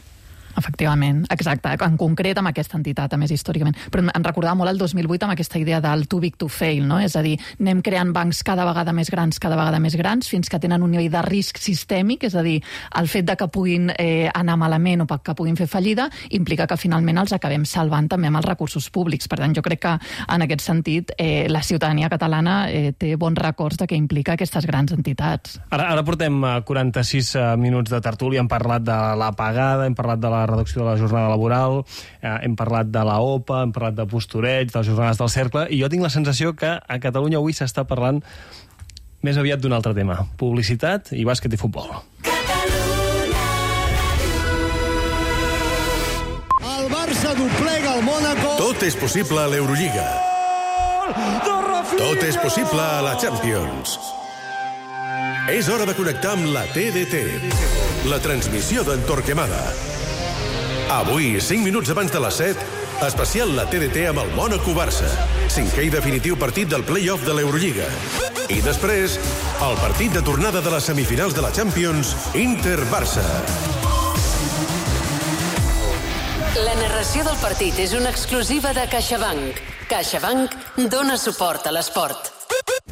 Efectivament, exacte, en concret amb aquesta entitat, a més històricament. Però em recordava molt el dos mil vuit amb aquesta idea del too big to fail, no? És a dir, anem creant bancs cada vegada més grans, cada vegada més grans, fins que tenen un nivell de risc sistèmic, és a dir, el fet de que puguin eh, anar malament o que puguin fer fallida implica que finalment els acabem salvant també amb els recursos públics. Per tant, jo crec que en aquest sentit eh, la ciutadania catalana eh, té bons records de què implica aquestes grans entitats. Ara, ara portem quaranta-sis minuts de tertúlia, hem parlat de l'apagada, hem parlat de la reducció de la jornada laboral, eh, hem parlat de la O P A, hem parlat de postureig, de les jornades del cercle, i jo tinc la sensació que a Catalunya avui s'està parlant més aviat d'un altre tema: publicitat i bàsquet i futbol. El Barça doblega el Mónaco. Tot és possible a l'Eurolliga. Tot és possible a la Champions. És hora de connectar amb la T D T, la transmissió d'en Torquemada. Avui, cinc minuts abans de les set, especial la T D T amb el Mónaco-Barça, cinquè i definitiu partit del play-off de l'Eurolliga. I després, el partit de tornada de les semifinals de la Champions, Inter-Barça. La narració del partit és una exclusiva de CaixaBank. CaixaBank dona suport a l'esport.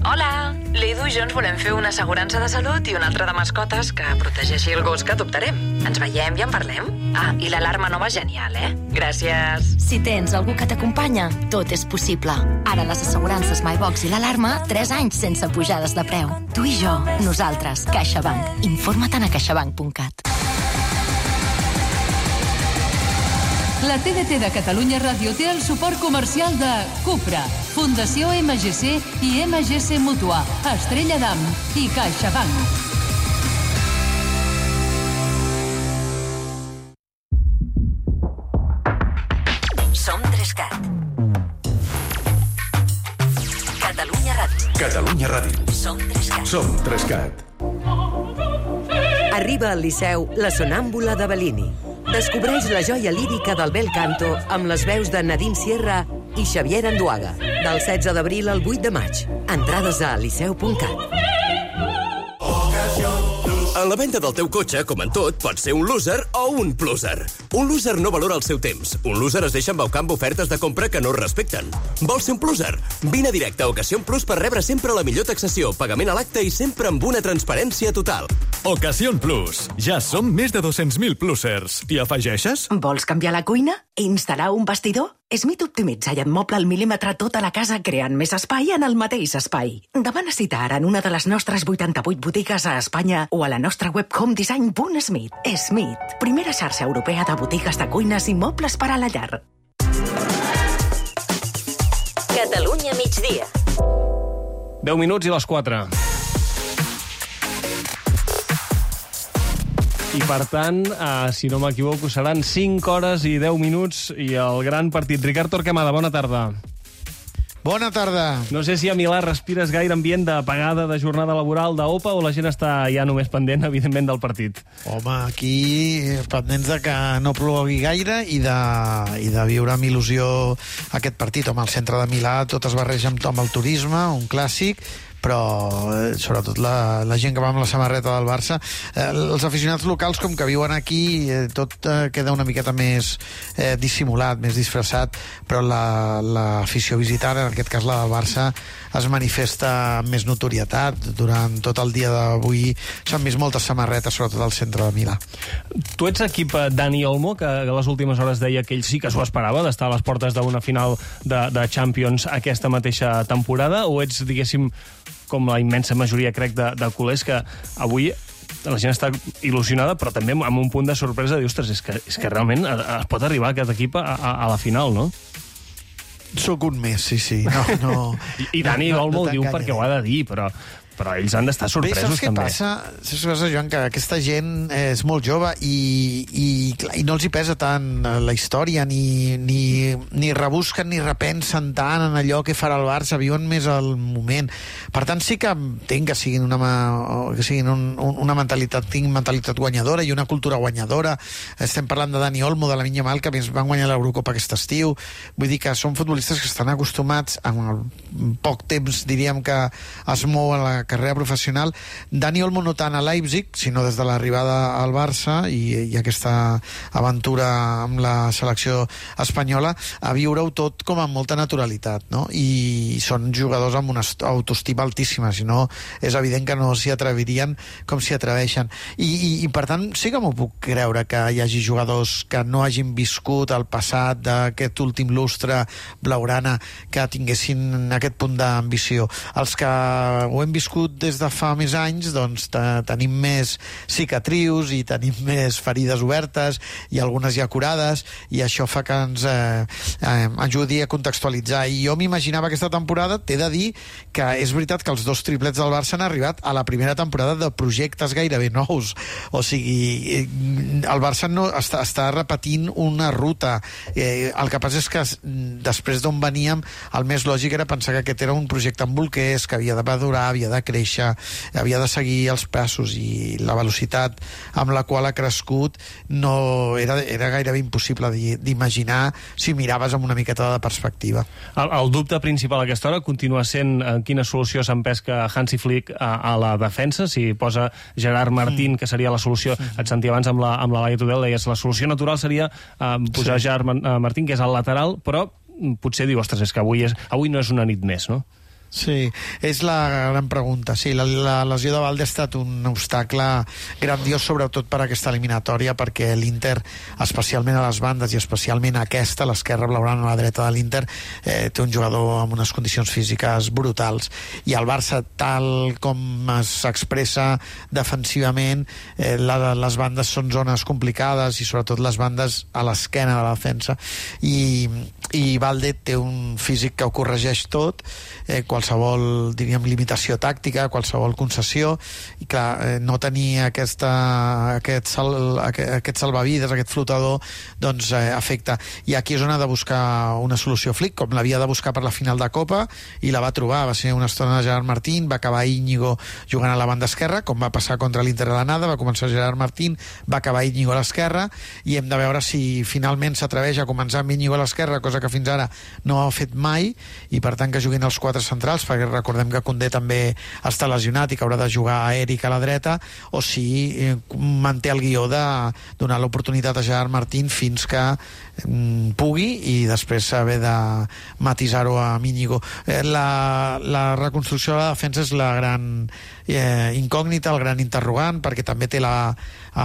Hola! L'Edu i jo ens volem fer una assegurança de salut i una altra de mascotes que protegeixi el gos que adoptarem. Ens veiem i en parlem? Ah, i l'alarma nova és genial, eh? Gràcies! Si tens algú que t'acompanya, tot és possible. Ara les assegurances MyBox i l'alarma, tres anys sense pujades de preu. Tu i jo, nosaltres, CaixaBank. Informa-te'n a caixabank punt cat. La T D T de Catalunya Ràdio té el suport comercial de Cupra, Fundació M G C i M G C Mútua, Estrella d'Am i CaixaBank. Som Trescat. Catalunya Ràdio. Catalunya Ràdio. Som Trescat. Som Trescat. Arriba al Liceu La Sonàmbula de Bellini. Descobreix la joia lírica del bel canto amb les veus de Nadine Sierra i Xavier Anduaga. Del setze d'abril al vuit de maig. Entrades a liceu punt cat. En la venda del teu cotxe, com en tot, pots ser un loser o un pluser. Un loser no valora el seu temps. Un loser es deixa embaucar amb ofertes de compra que no es respecten. Vols ser un pluser? Vine directe a Ocasión Plus per rebre sempre la millor taxació, pagament a l'acte i sempre amb una transparència total. Ocasión Plus. Ja som més de dos-cents mil plusers. T'hi afegeixes? Vols canviar la cuina? Instal·lar un vestidor? Smith optimitza i et mobla al mil·límetre tota la casa creant més espai en el mateix espai. Demana cita ara en una de les nostres vuitanta-vuit botigues a Espanya o a la nostra web homedesign punt smith. Smith, primera xarxa europea de botigues de cuines i mobles per a la llar. Catalunya migdia. deu minuts i les quatre. I, per tant, eh, si no m'equivoco, seran cinc hores i deu minuts i el gran partit. Ricard Torquemada, bona tarda. Bona tarda. No sé si a Milà respires gaire ambient d'apagada de jornada laboral d'Opa o la gent està ja només pendent, evidentment, del partit. Home, aquí pendents de que no plogui gaire i de, i de viure amb il·lusió aquest partit. Home, al centre de Milà tot es barreja amb, amb el turisme, un clàssic, però eh, sobretot la, la gent que va amb la samarreta del Barça. Eh, els aficionats locals, com que viuen aquí, eh, tot eh, queda una miqueta més eh, dissimulat, més disfressat, però l'afició la, visitant, en aquest cas la del Barça, es manifesta amb més notorietat. Durant tot el dia d'avui s'han vist moltes samarretes, sobretot al centre de Milà. Tu ets equip Dani Olmo, que a les últimes hores deia que ell sí que s'ho esperava, d'estar a les portes d'una final de, de Champions aquesta mateixa temporada, o ets, diguéssim, com la immensa majoria, crec, de, de culers, que avui la gent està il·lusionada, però també amb un punt de sorpresa, dius, ostres, és que, és que realment es pot arribar aquest equip a, a, a la final, no? Sóc un més, sí, sí. No, no, I, I Dani no, Olmo no, no ho diu perquè ho ha de dir, però... però ells han d'estar sorpresos. Bé, saps també. Què passa? Saps què passa, Joan? Que aquesta gent és molt jove i, i, i no els hi pesa tant la història, ni, ni, ni rebusquen ni repensen tant en allò que farà el Barça, viuen més al moment. Per tant, sí que entenc que siguin una, que siguin un, una mentalitat, tinc mentalitat guanyadora i una cultura guanyadora. Estem parlant de Dani Olmo, de la Lamine Yamal, que van guanyar l'Eurocopa aquest estiu. Vull dir que són futbolistes que estan acostumats, en el poc temps, diríem, que es mou a la carrera professional. Dani Olmo no tant a Leipzig, sinó des de l'arribada al Barça i, i aquesta aventura amb la selecció espanyola, a viure-ho tot com amb molta naturalitat, no? I són jugadors amb una autoestima altíssima, si no és evident que no s'hi atrevirien com s'hi atreveixen. I, i, i per tant sí que m'ho puc creure que hi hagi jugadors que no hagin viscut el passat d'aquest últim lustre blaugrana, que tinguessin aquest punt d'ambició. Els que ho hem viscut des de fa més anys, doncs tenim més cicatrius i tenim més ferides obertes i algunes ja curades, i això fa que ens eh, eh, ajudi a contextualitzar. I jo m'imaginava aquesta temporada, t'he de dir que és veritat que els dos triplets del Barça han arribat a la primera temporada de projectes gairebé nous. O sigui, el Barça no està, està repetint una ruta. Eh, el que passa és que després d'on veníem, el més lògic era pensar que aquest era un projecte amb bolquers, que havia de madurar, havia de créixer, havia de seguir els passos, i la velocitat amb la qual ha crescut no era, era gairebé impossible d'imaginar si miraves amb una miqueta de perspectiva. El, el dubte principal a aquesta hora continua sent en quina solució s'empesca Hansi Flick a, a la defensa, si posa Gerard Martín, mm. que seria la solució, mm. et sentia abans amb la, amb la Laia Tudel, deies la solució natural seria eh, posar sí. Gerard Martín, que és al lateral, però potser diu, ostres, és que avui, és, avui no és una nit més, no? Sí, és la gran pregunta. Sí, la, la lesió de Valde ha estat un obstacle grandiós, sobretot per aquesta eliminatòria, perquè l'Inter, especialment a les bandes i especialment aquesta, l'esquerra blaugrana a la dreta de l'Inter, eh, té un jugador amb unes condicions físiques brutals, i el Barça, tal com s'expressa defensivament, eh, la, les bandes són zones complicades, i sobretot les bandes a l'esquena de la defensa, i, i Valde té un físic que ho corregeix tot, eh, qualsevol, diríem, limitació tàctica, qualsevol concessió, i clar, eh, no tenir aquesta, aquest, sal, aquest, aquest salvavides, aquest flotador, doncs eh, afecta. I aquí és on ha de buscar una solució Flick, com l'havia de buscar per la final de Copa, i la va trobar. Va ser una estona de Gerard Martín, va acabar Íñigo jugant a la banda esquerra, com va passar contra l'Inter de l'Anada, va començar Gerard Martín, va acabar Íñigo a l'esquerra, i hem de veure si finalment s'atreveix a començar amb Íñigo a l'esquerra, cosa que fins ara no ha fet mai, i per tant que juguin els quatre centrals, perquè recordem que Koundé també està lesionat i que haurà de jugar a Eric a la dreta, o si eh, manté el guió de donar l'oportunitat a Gerard Martín fins que mm, pugui, i després haver de matisar-ho a Íñigo. Eh, la, la reconstrucció de la defensa és la gran eh, incògnita, el gran interrogant, perquè també té la,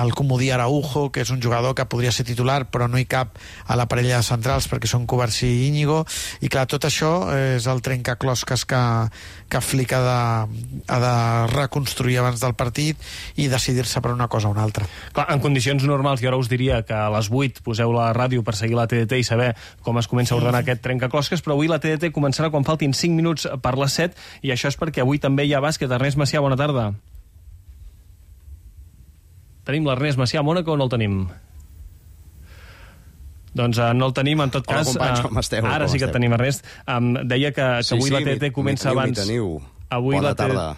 el comodí Araujo, que és un jugador que podria ser titular però no hi cap a la parella de centrals perquè són Kovacic i Íñigo, i clar, tot això és el trencaclosques que, que Flick ha de, ha de reconstruir abans del partit i decidir-se per una cosa o una altra. Clar, en condicions normals, jo ara us diria que a les vuit poseu la ràdio per seguir la T D T i saber com es comença a ordenar aquest trencaclosques, però avui la T D T començarà quan faltin cinc minuts per les set, i això és perquè avui també hi ha bàsquet. Ernest Macià, bona tarda. Tenim l'Ernest Macià a Mònaco o no el tenim? Doncs uh, no el tenim, en tot Hola, cas... companys, com esteu? Ara com sí que esteu? et tenim, Ernest. Um, deia que, que Sí, avui sí, la T D T m'hi- comença m'hi abans... teniu. Avui Bona la T D T... tarda.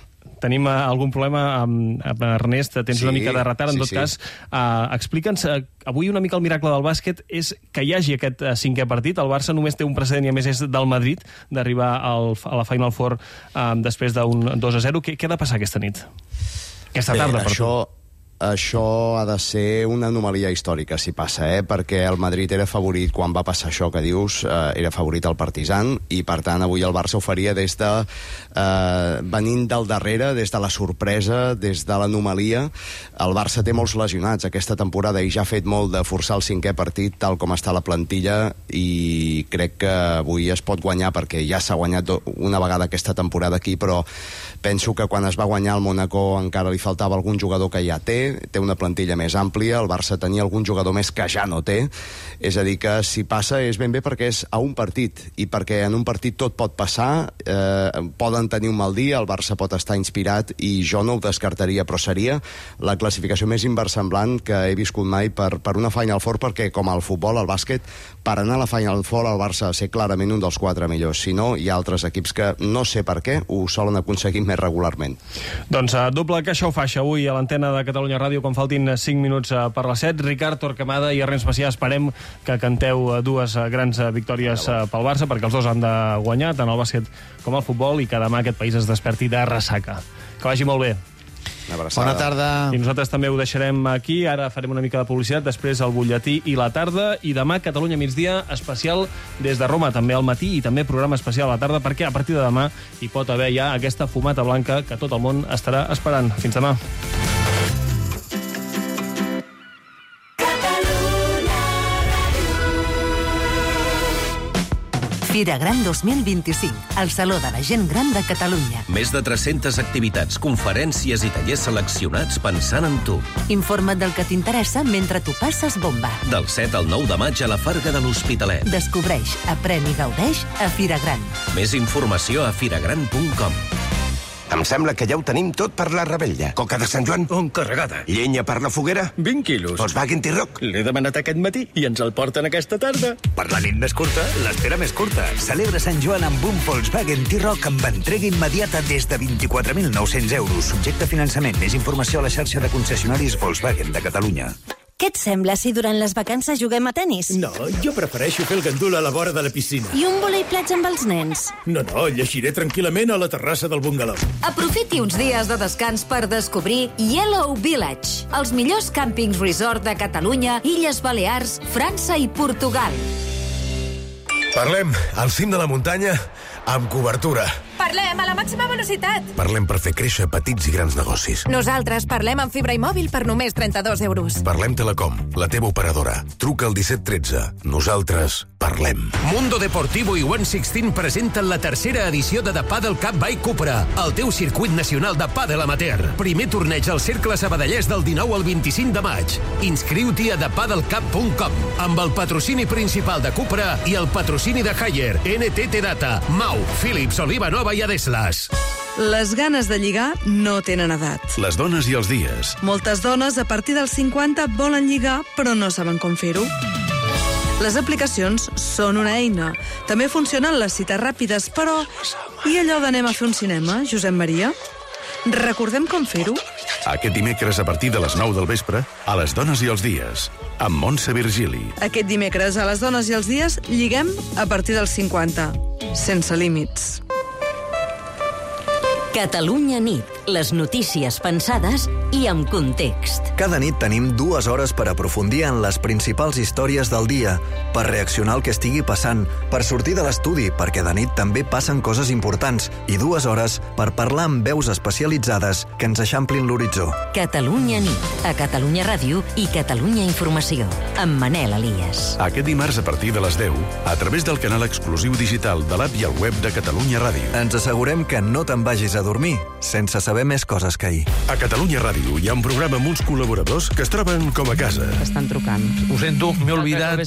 Tenim uh, algun problema amb, amb Ernest, tens Sí, una mica de retard, en sí, tot sí. cas. Uh, Explica'ns, uh, avui una mica el miracle del bàsquet és que hi hagi aquest uh, cinquè partit. El Barça només té un precedent i a més és del Madrid, d'arribar al, a la Final Four uh, després d'un dos a zero. Què, què ha de passar aquesta nit? Aquesta Bé, tarda, per això, tu. això ha de ser una anomalia històrica, si passa, eh? Perquè el Madrid era favorit, quan va passar això que dius, eh, era favorit al Partizan, i per tant avui el Barça ho faria des de... Eh, venint del darrere, des de la sorpresa, des de l'anomalia. El Barça té molts lesionats aquesta temporada i ja ha fet molt de forçar el cinquè partit, tal com està la plantilla, i crec que avui es pot guanyar, perquè ja s'ha guanyat una vegada aquesta temporada aquí, però penso que quan es va guanyar el Mónaco encara li faltava algun jugador que ja té, té una plantilla més àmplia, el Barça tenia algun jugador més que ja no té, és a dir que si passa és ben bé perquè és a un partit, i perquè en un partit tot pot passar, eh, poden tenir un mal dia, el Barça pot estar inspirat i jo no ho descartaria, però seria la classificació més inversemblant que he viscut mai per, per una Final Four, perquè com al futbol, al bàsquet, per anar a la Final Four el Barça ha de ser clarament un dels quatre millors, si no hi ha altres equips que no sé per què ho solen aconseguir més regularment. Doncs uh, doble caixa o faixa avui a l'antena de Catalunya Ràdio quan faltin cinc minuts uh, per les set. Ricard Torquemada i Ernest Macià, esperem que canteu uh, dues uh, grans uh, victòries uh, pel Barça, perquè els dos han de guanyar, tant el bàsquet com el futbol, i que demà aquest país es desperti de ressaca. Que vagi molt bé. Bona tarda. I nosaltres també ho deixarem aquí. Ara farem una mica de publicitat, després el butlletí i la tarda, i demà Catalunya migdia especial des de Roma, també al matí, i també programa especial a la tarda, perquè a partir de demà hi pot haver ja aquesta fumata blanca que tot el món estarà esperant. Fins demà. Fira Gran dos mil vint-i-cinc, el Saló de la Gent Gran de Catalunya. Més de tres-centes activitats, conferències i tallers seleccionats pensant en tu. Informa't del que t'interessa mentre tu passes bomba. Del set al nou de maig a la Farga de l'Hospitalet. Descobreix, aprèn i gaudeix a Fira Gran. Més informació a firagran punt com. Em sembla que ja ho tenim tot per la rebella. Coca de Sant Joan? On carregada. Llenya per la foguera? vint quilos. Volkswagen T-Roc? L'he demanat aquest matí i ens el porten aquesta tarda. Per la nit més curta, l'espera més curta. Celebra Sant Joan amb un Volkswagen T-Roc amb entrega immediata des de vint-i-quatre mil nou-cents euros. Subjecte a finançament. Més informació a la xarxa de concessionaris Volkswagen de Catalunya. Què et sembla si durant les vacances juguem a tennis? No, jo prefereixo fer el gandul a la vora de la piscina. I un voleiplats amb els nens? No, no, llegiré tranquil·lament a la terrassa del bungalow. Aprofiti uns dies de descans per descobrir Yellow Village, els millors càmpings resort de Catalunya, Illes Balears, França i Portugal. Parlem al cim de la muntanya amb cobertura. Parlem a la màxima velocitat. Parlem per fer créixer petits i grans negocis. Nosaltres parlem amb fibra i mòbil per només trenta-dos euros. Parlem Telecom, la teva operadora. Truca al disset tretze. Nosaltres parlem. Mundo Deportivo i One Sixteen presenten la tercera edició de The Paddle Cup by Cupra, el teu circuit nacional de pàdel amateur. Primer torneig al Cercle Sabadellès del dinou al vint-i-cinc de maig. Inscriu-t'hi a the paddle cup punt com amb el patrocini principal de Cupra i el patrocini de Haier, N T T Data, Mau, Philips, Oliva Nova i Adeslas. Les ganes de lligar no tenen edat. Les dones i els dies. Moltes dones a partir dels cinquanta volen lligar però no saben com fer-ho. Les aplicacions són una eina. També funcionen les cites ràpides, però... I allò d'anem a fer un cinema, Josep Maria? Recordem com fer-ho? Aquest dimecres a partir de les nou del vespre, a Les dones i els dies, amb Montse Virgili. Aquest dimecres a Les dones i els dies lliguem a partir dels cinquanta. Sense límits. Catalunya nit, les notícies pensades i amb context. Cada nit tenim dues hores per aprofundir en les principals històries del dia, per reaccionar al que estigui passant, per sortir de l'estudi, perquè de nit també passen coses importants, i dues hores per parlar amb veus especialitzades que ens eixamplin l'horitzó. Catalunya nit, a Catalunya Ràdio i Catalunya Informació, amb Manel Elias. Aquest dimarts a partir de les deu, a través del canal exclusiu digital de l'app i el web de Catalunya Ràdio. Ens assegurem que no te'n vagis a dormir sense saber més coses que ahir. A Catalunya Ràdio hi ha un programa amb uns col·laboradors que es troben com a casa. Estan trucant. Ho sento, m'he oblidat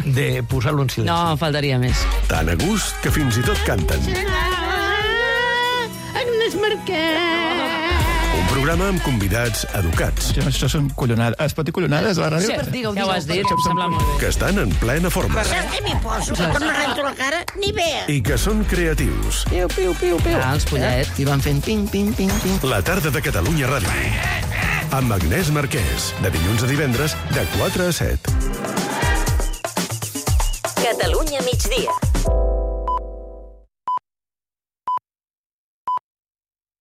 de posar-lo en silenci. No, faltaria més. Tan a gust que fins i tot canten. Agnès Marquès! Un programa amb convidats educats. Això són collonades. Es pot dir collonades a la ràdio? Sí, digueu, ja ho has dit, em sembla molt bé. Que estan en plena forma. Saps què m'hi poso? Que quan me rento la cara, ni vea. I que són creatius. Piu, piu, piu, piu. Ah, els pollets, i van fent ping, ping, ping, ping. La tarda de Catalunya Ràdio. Amb Agnès Marquès, de dilluns a divendres, de quatre a set. Catalunya migdia.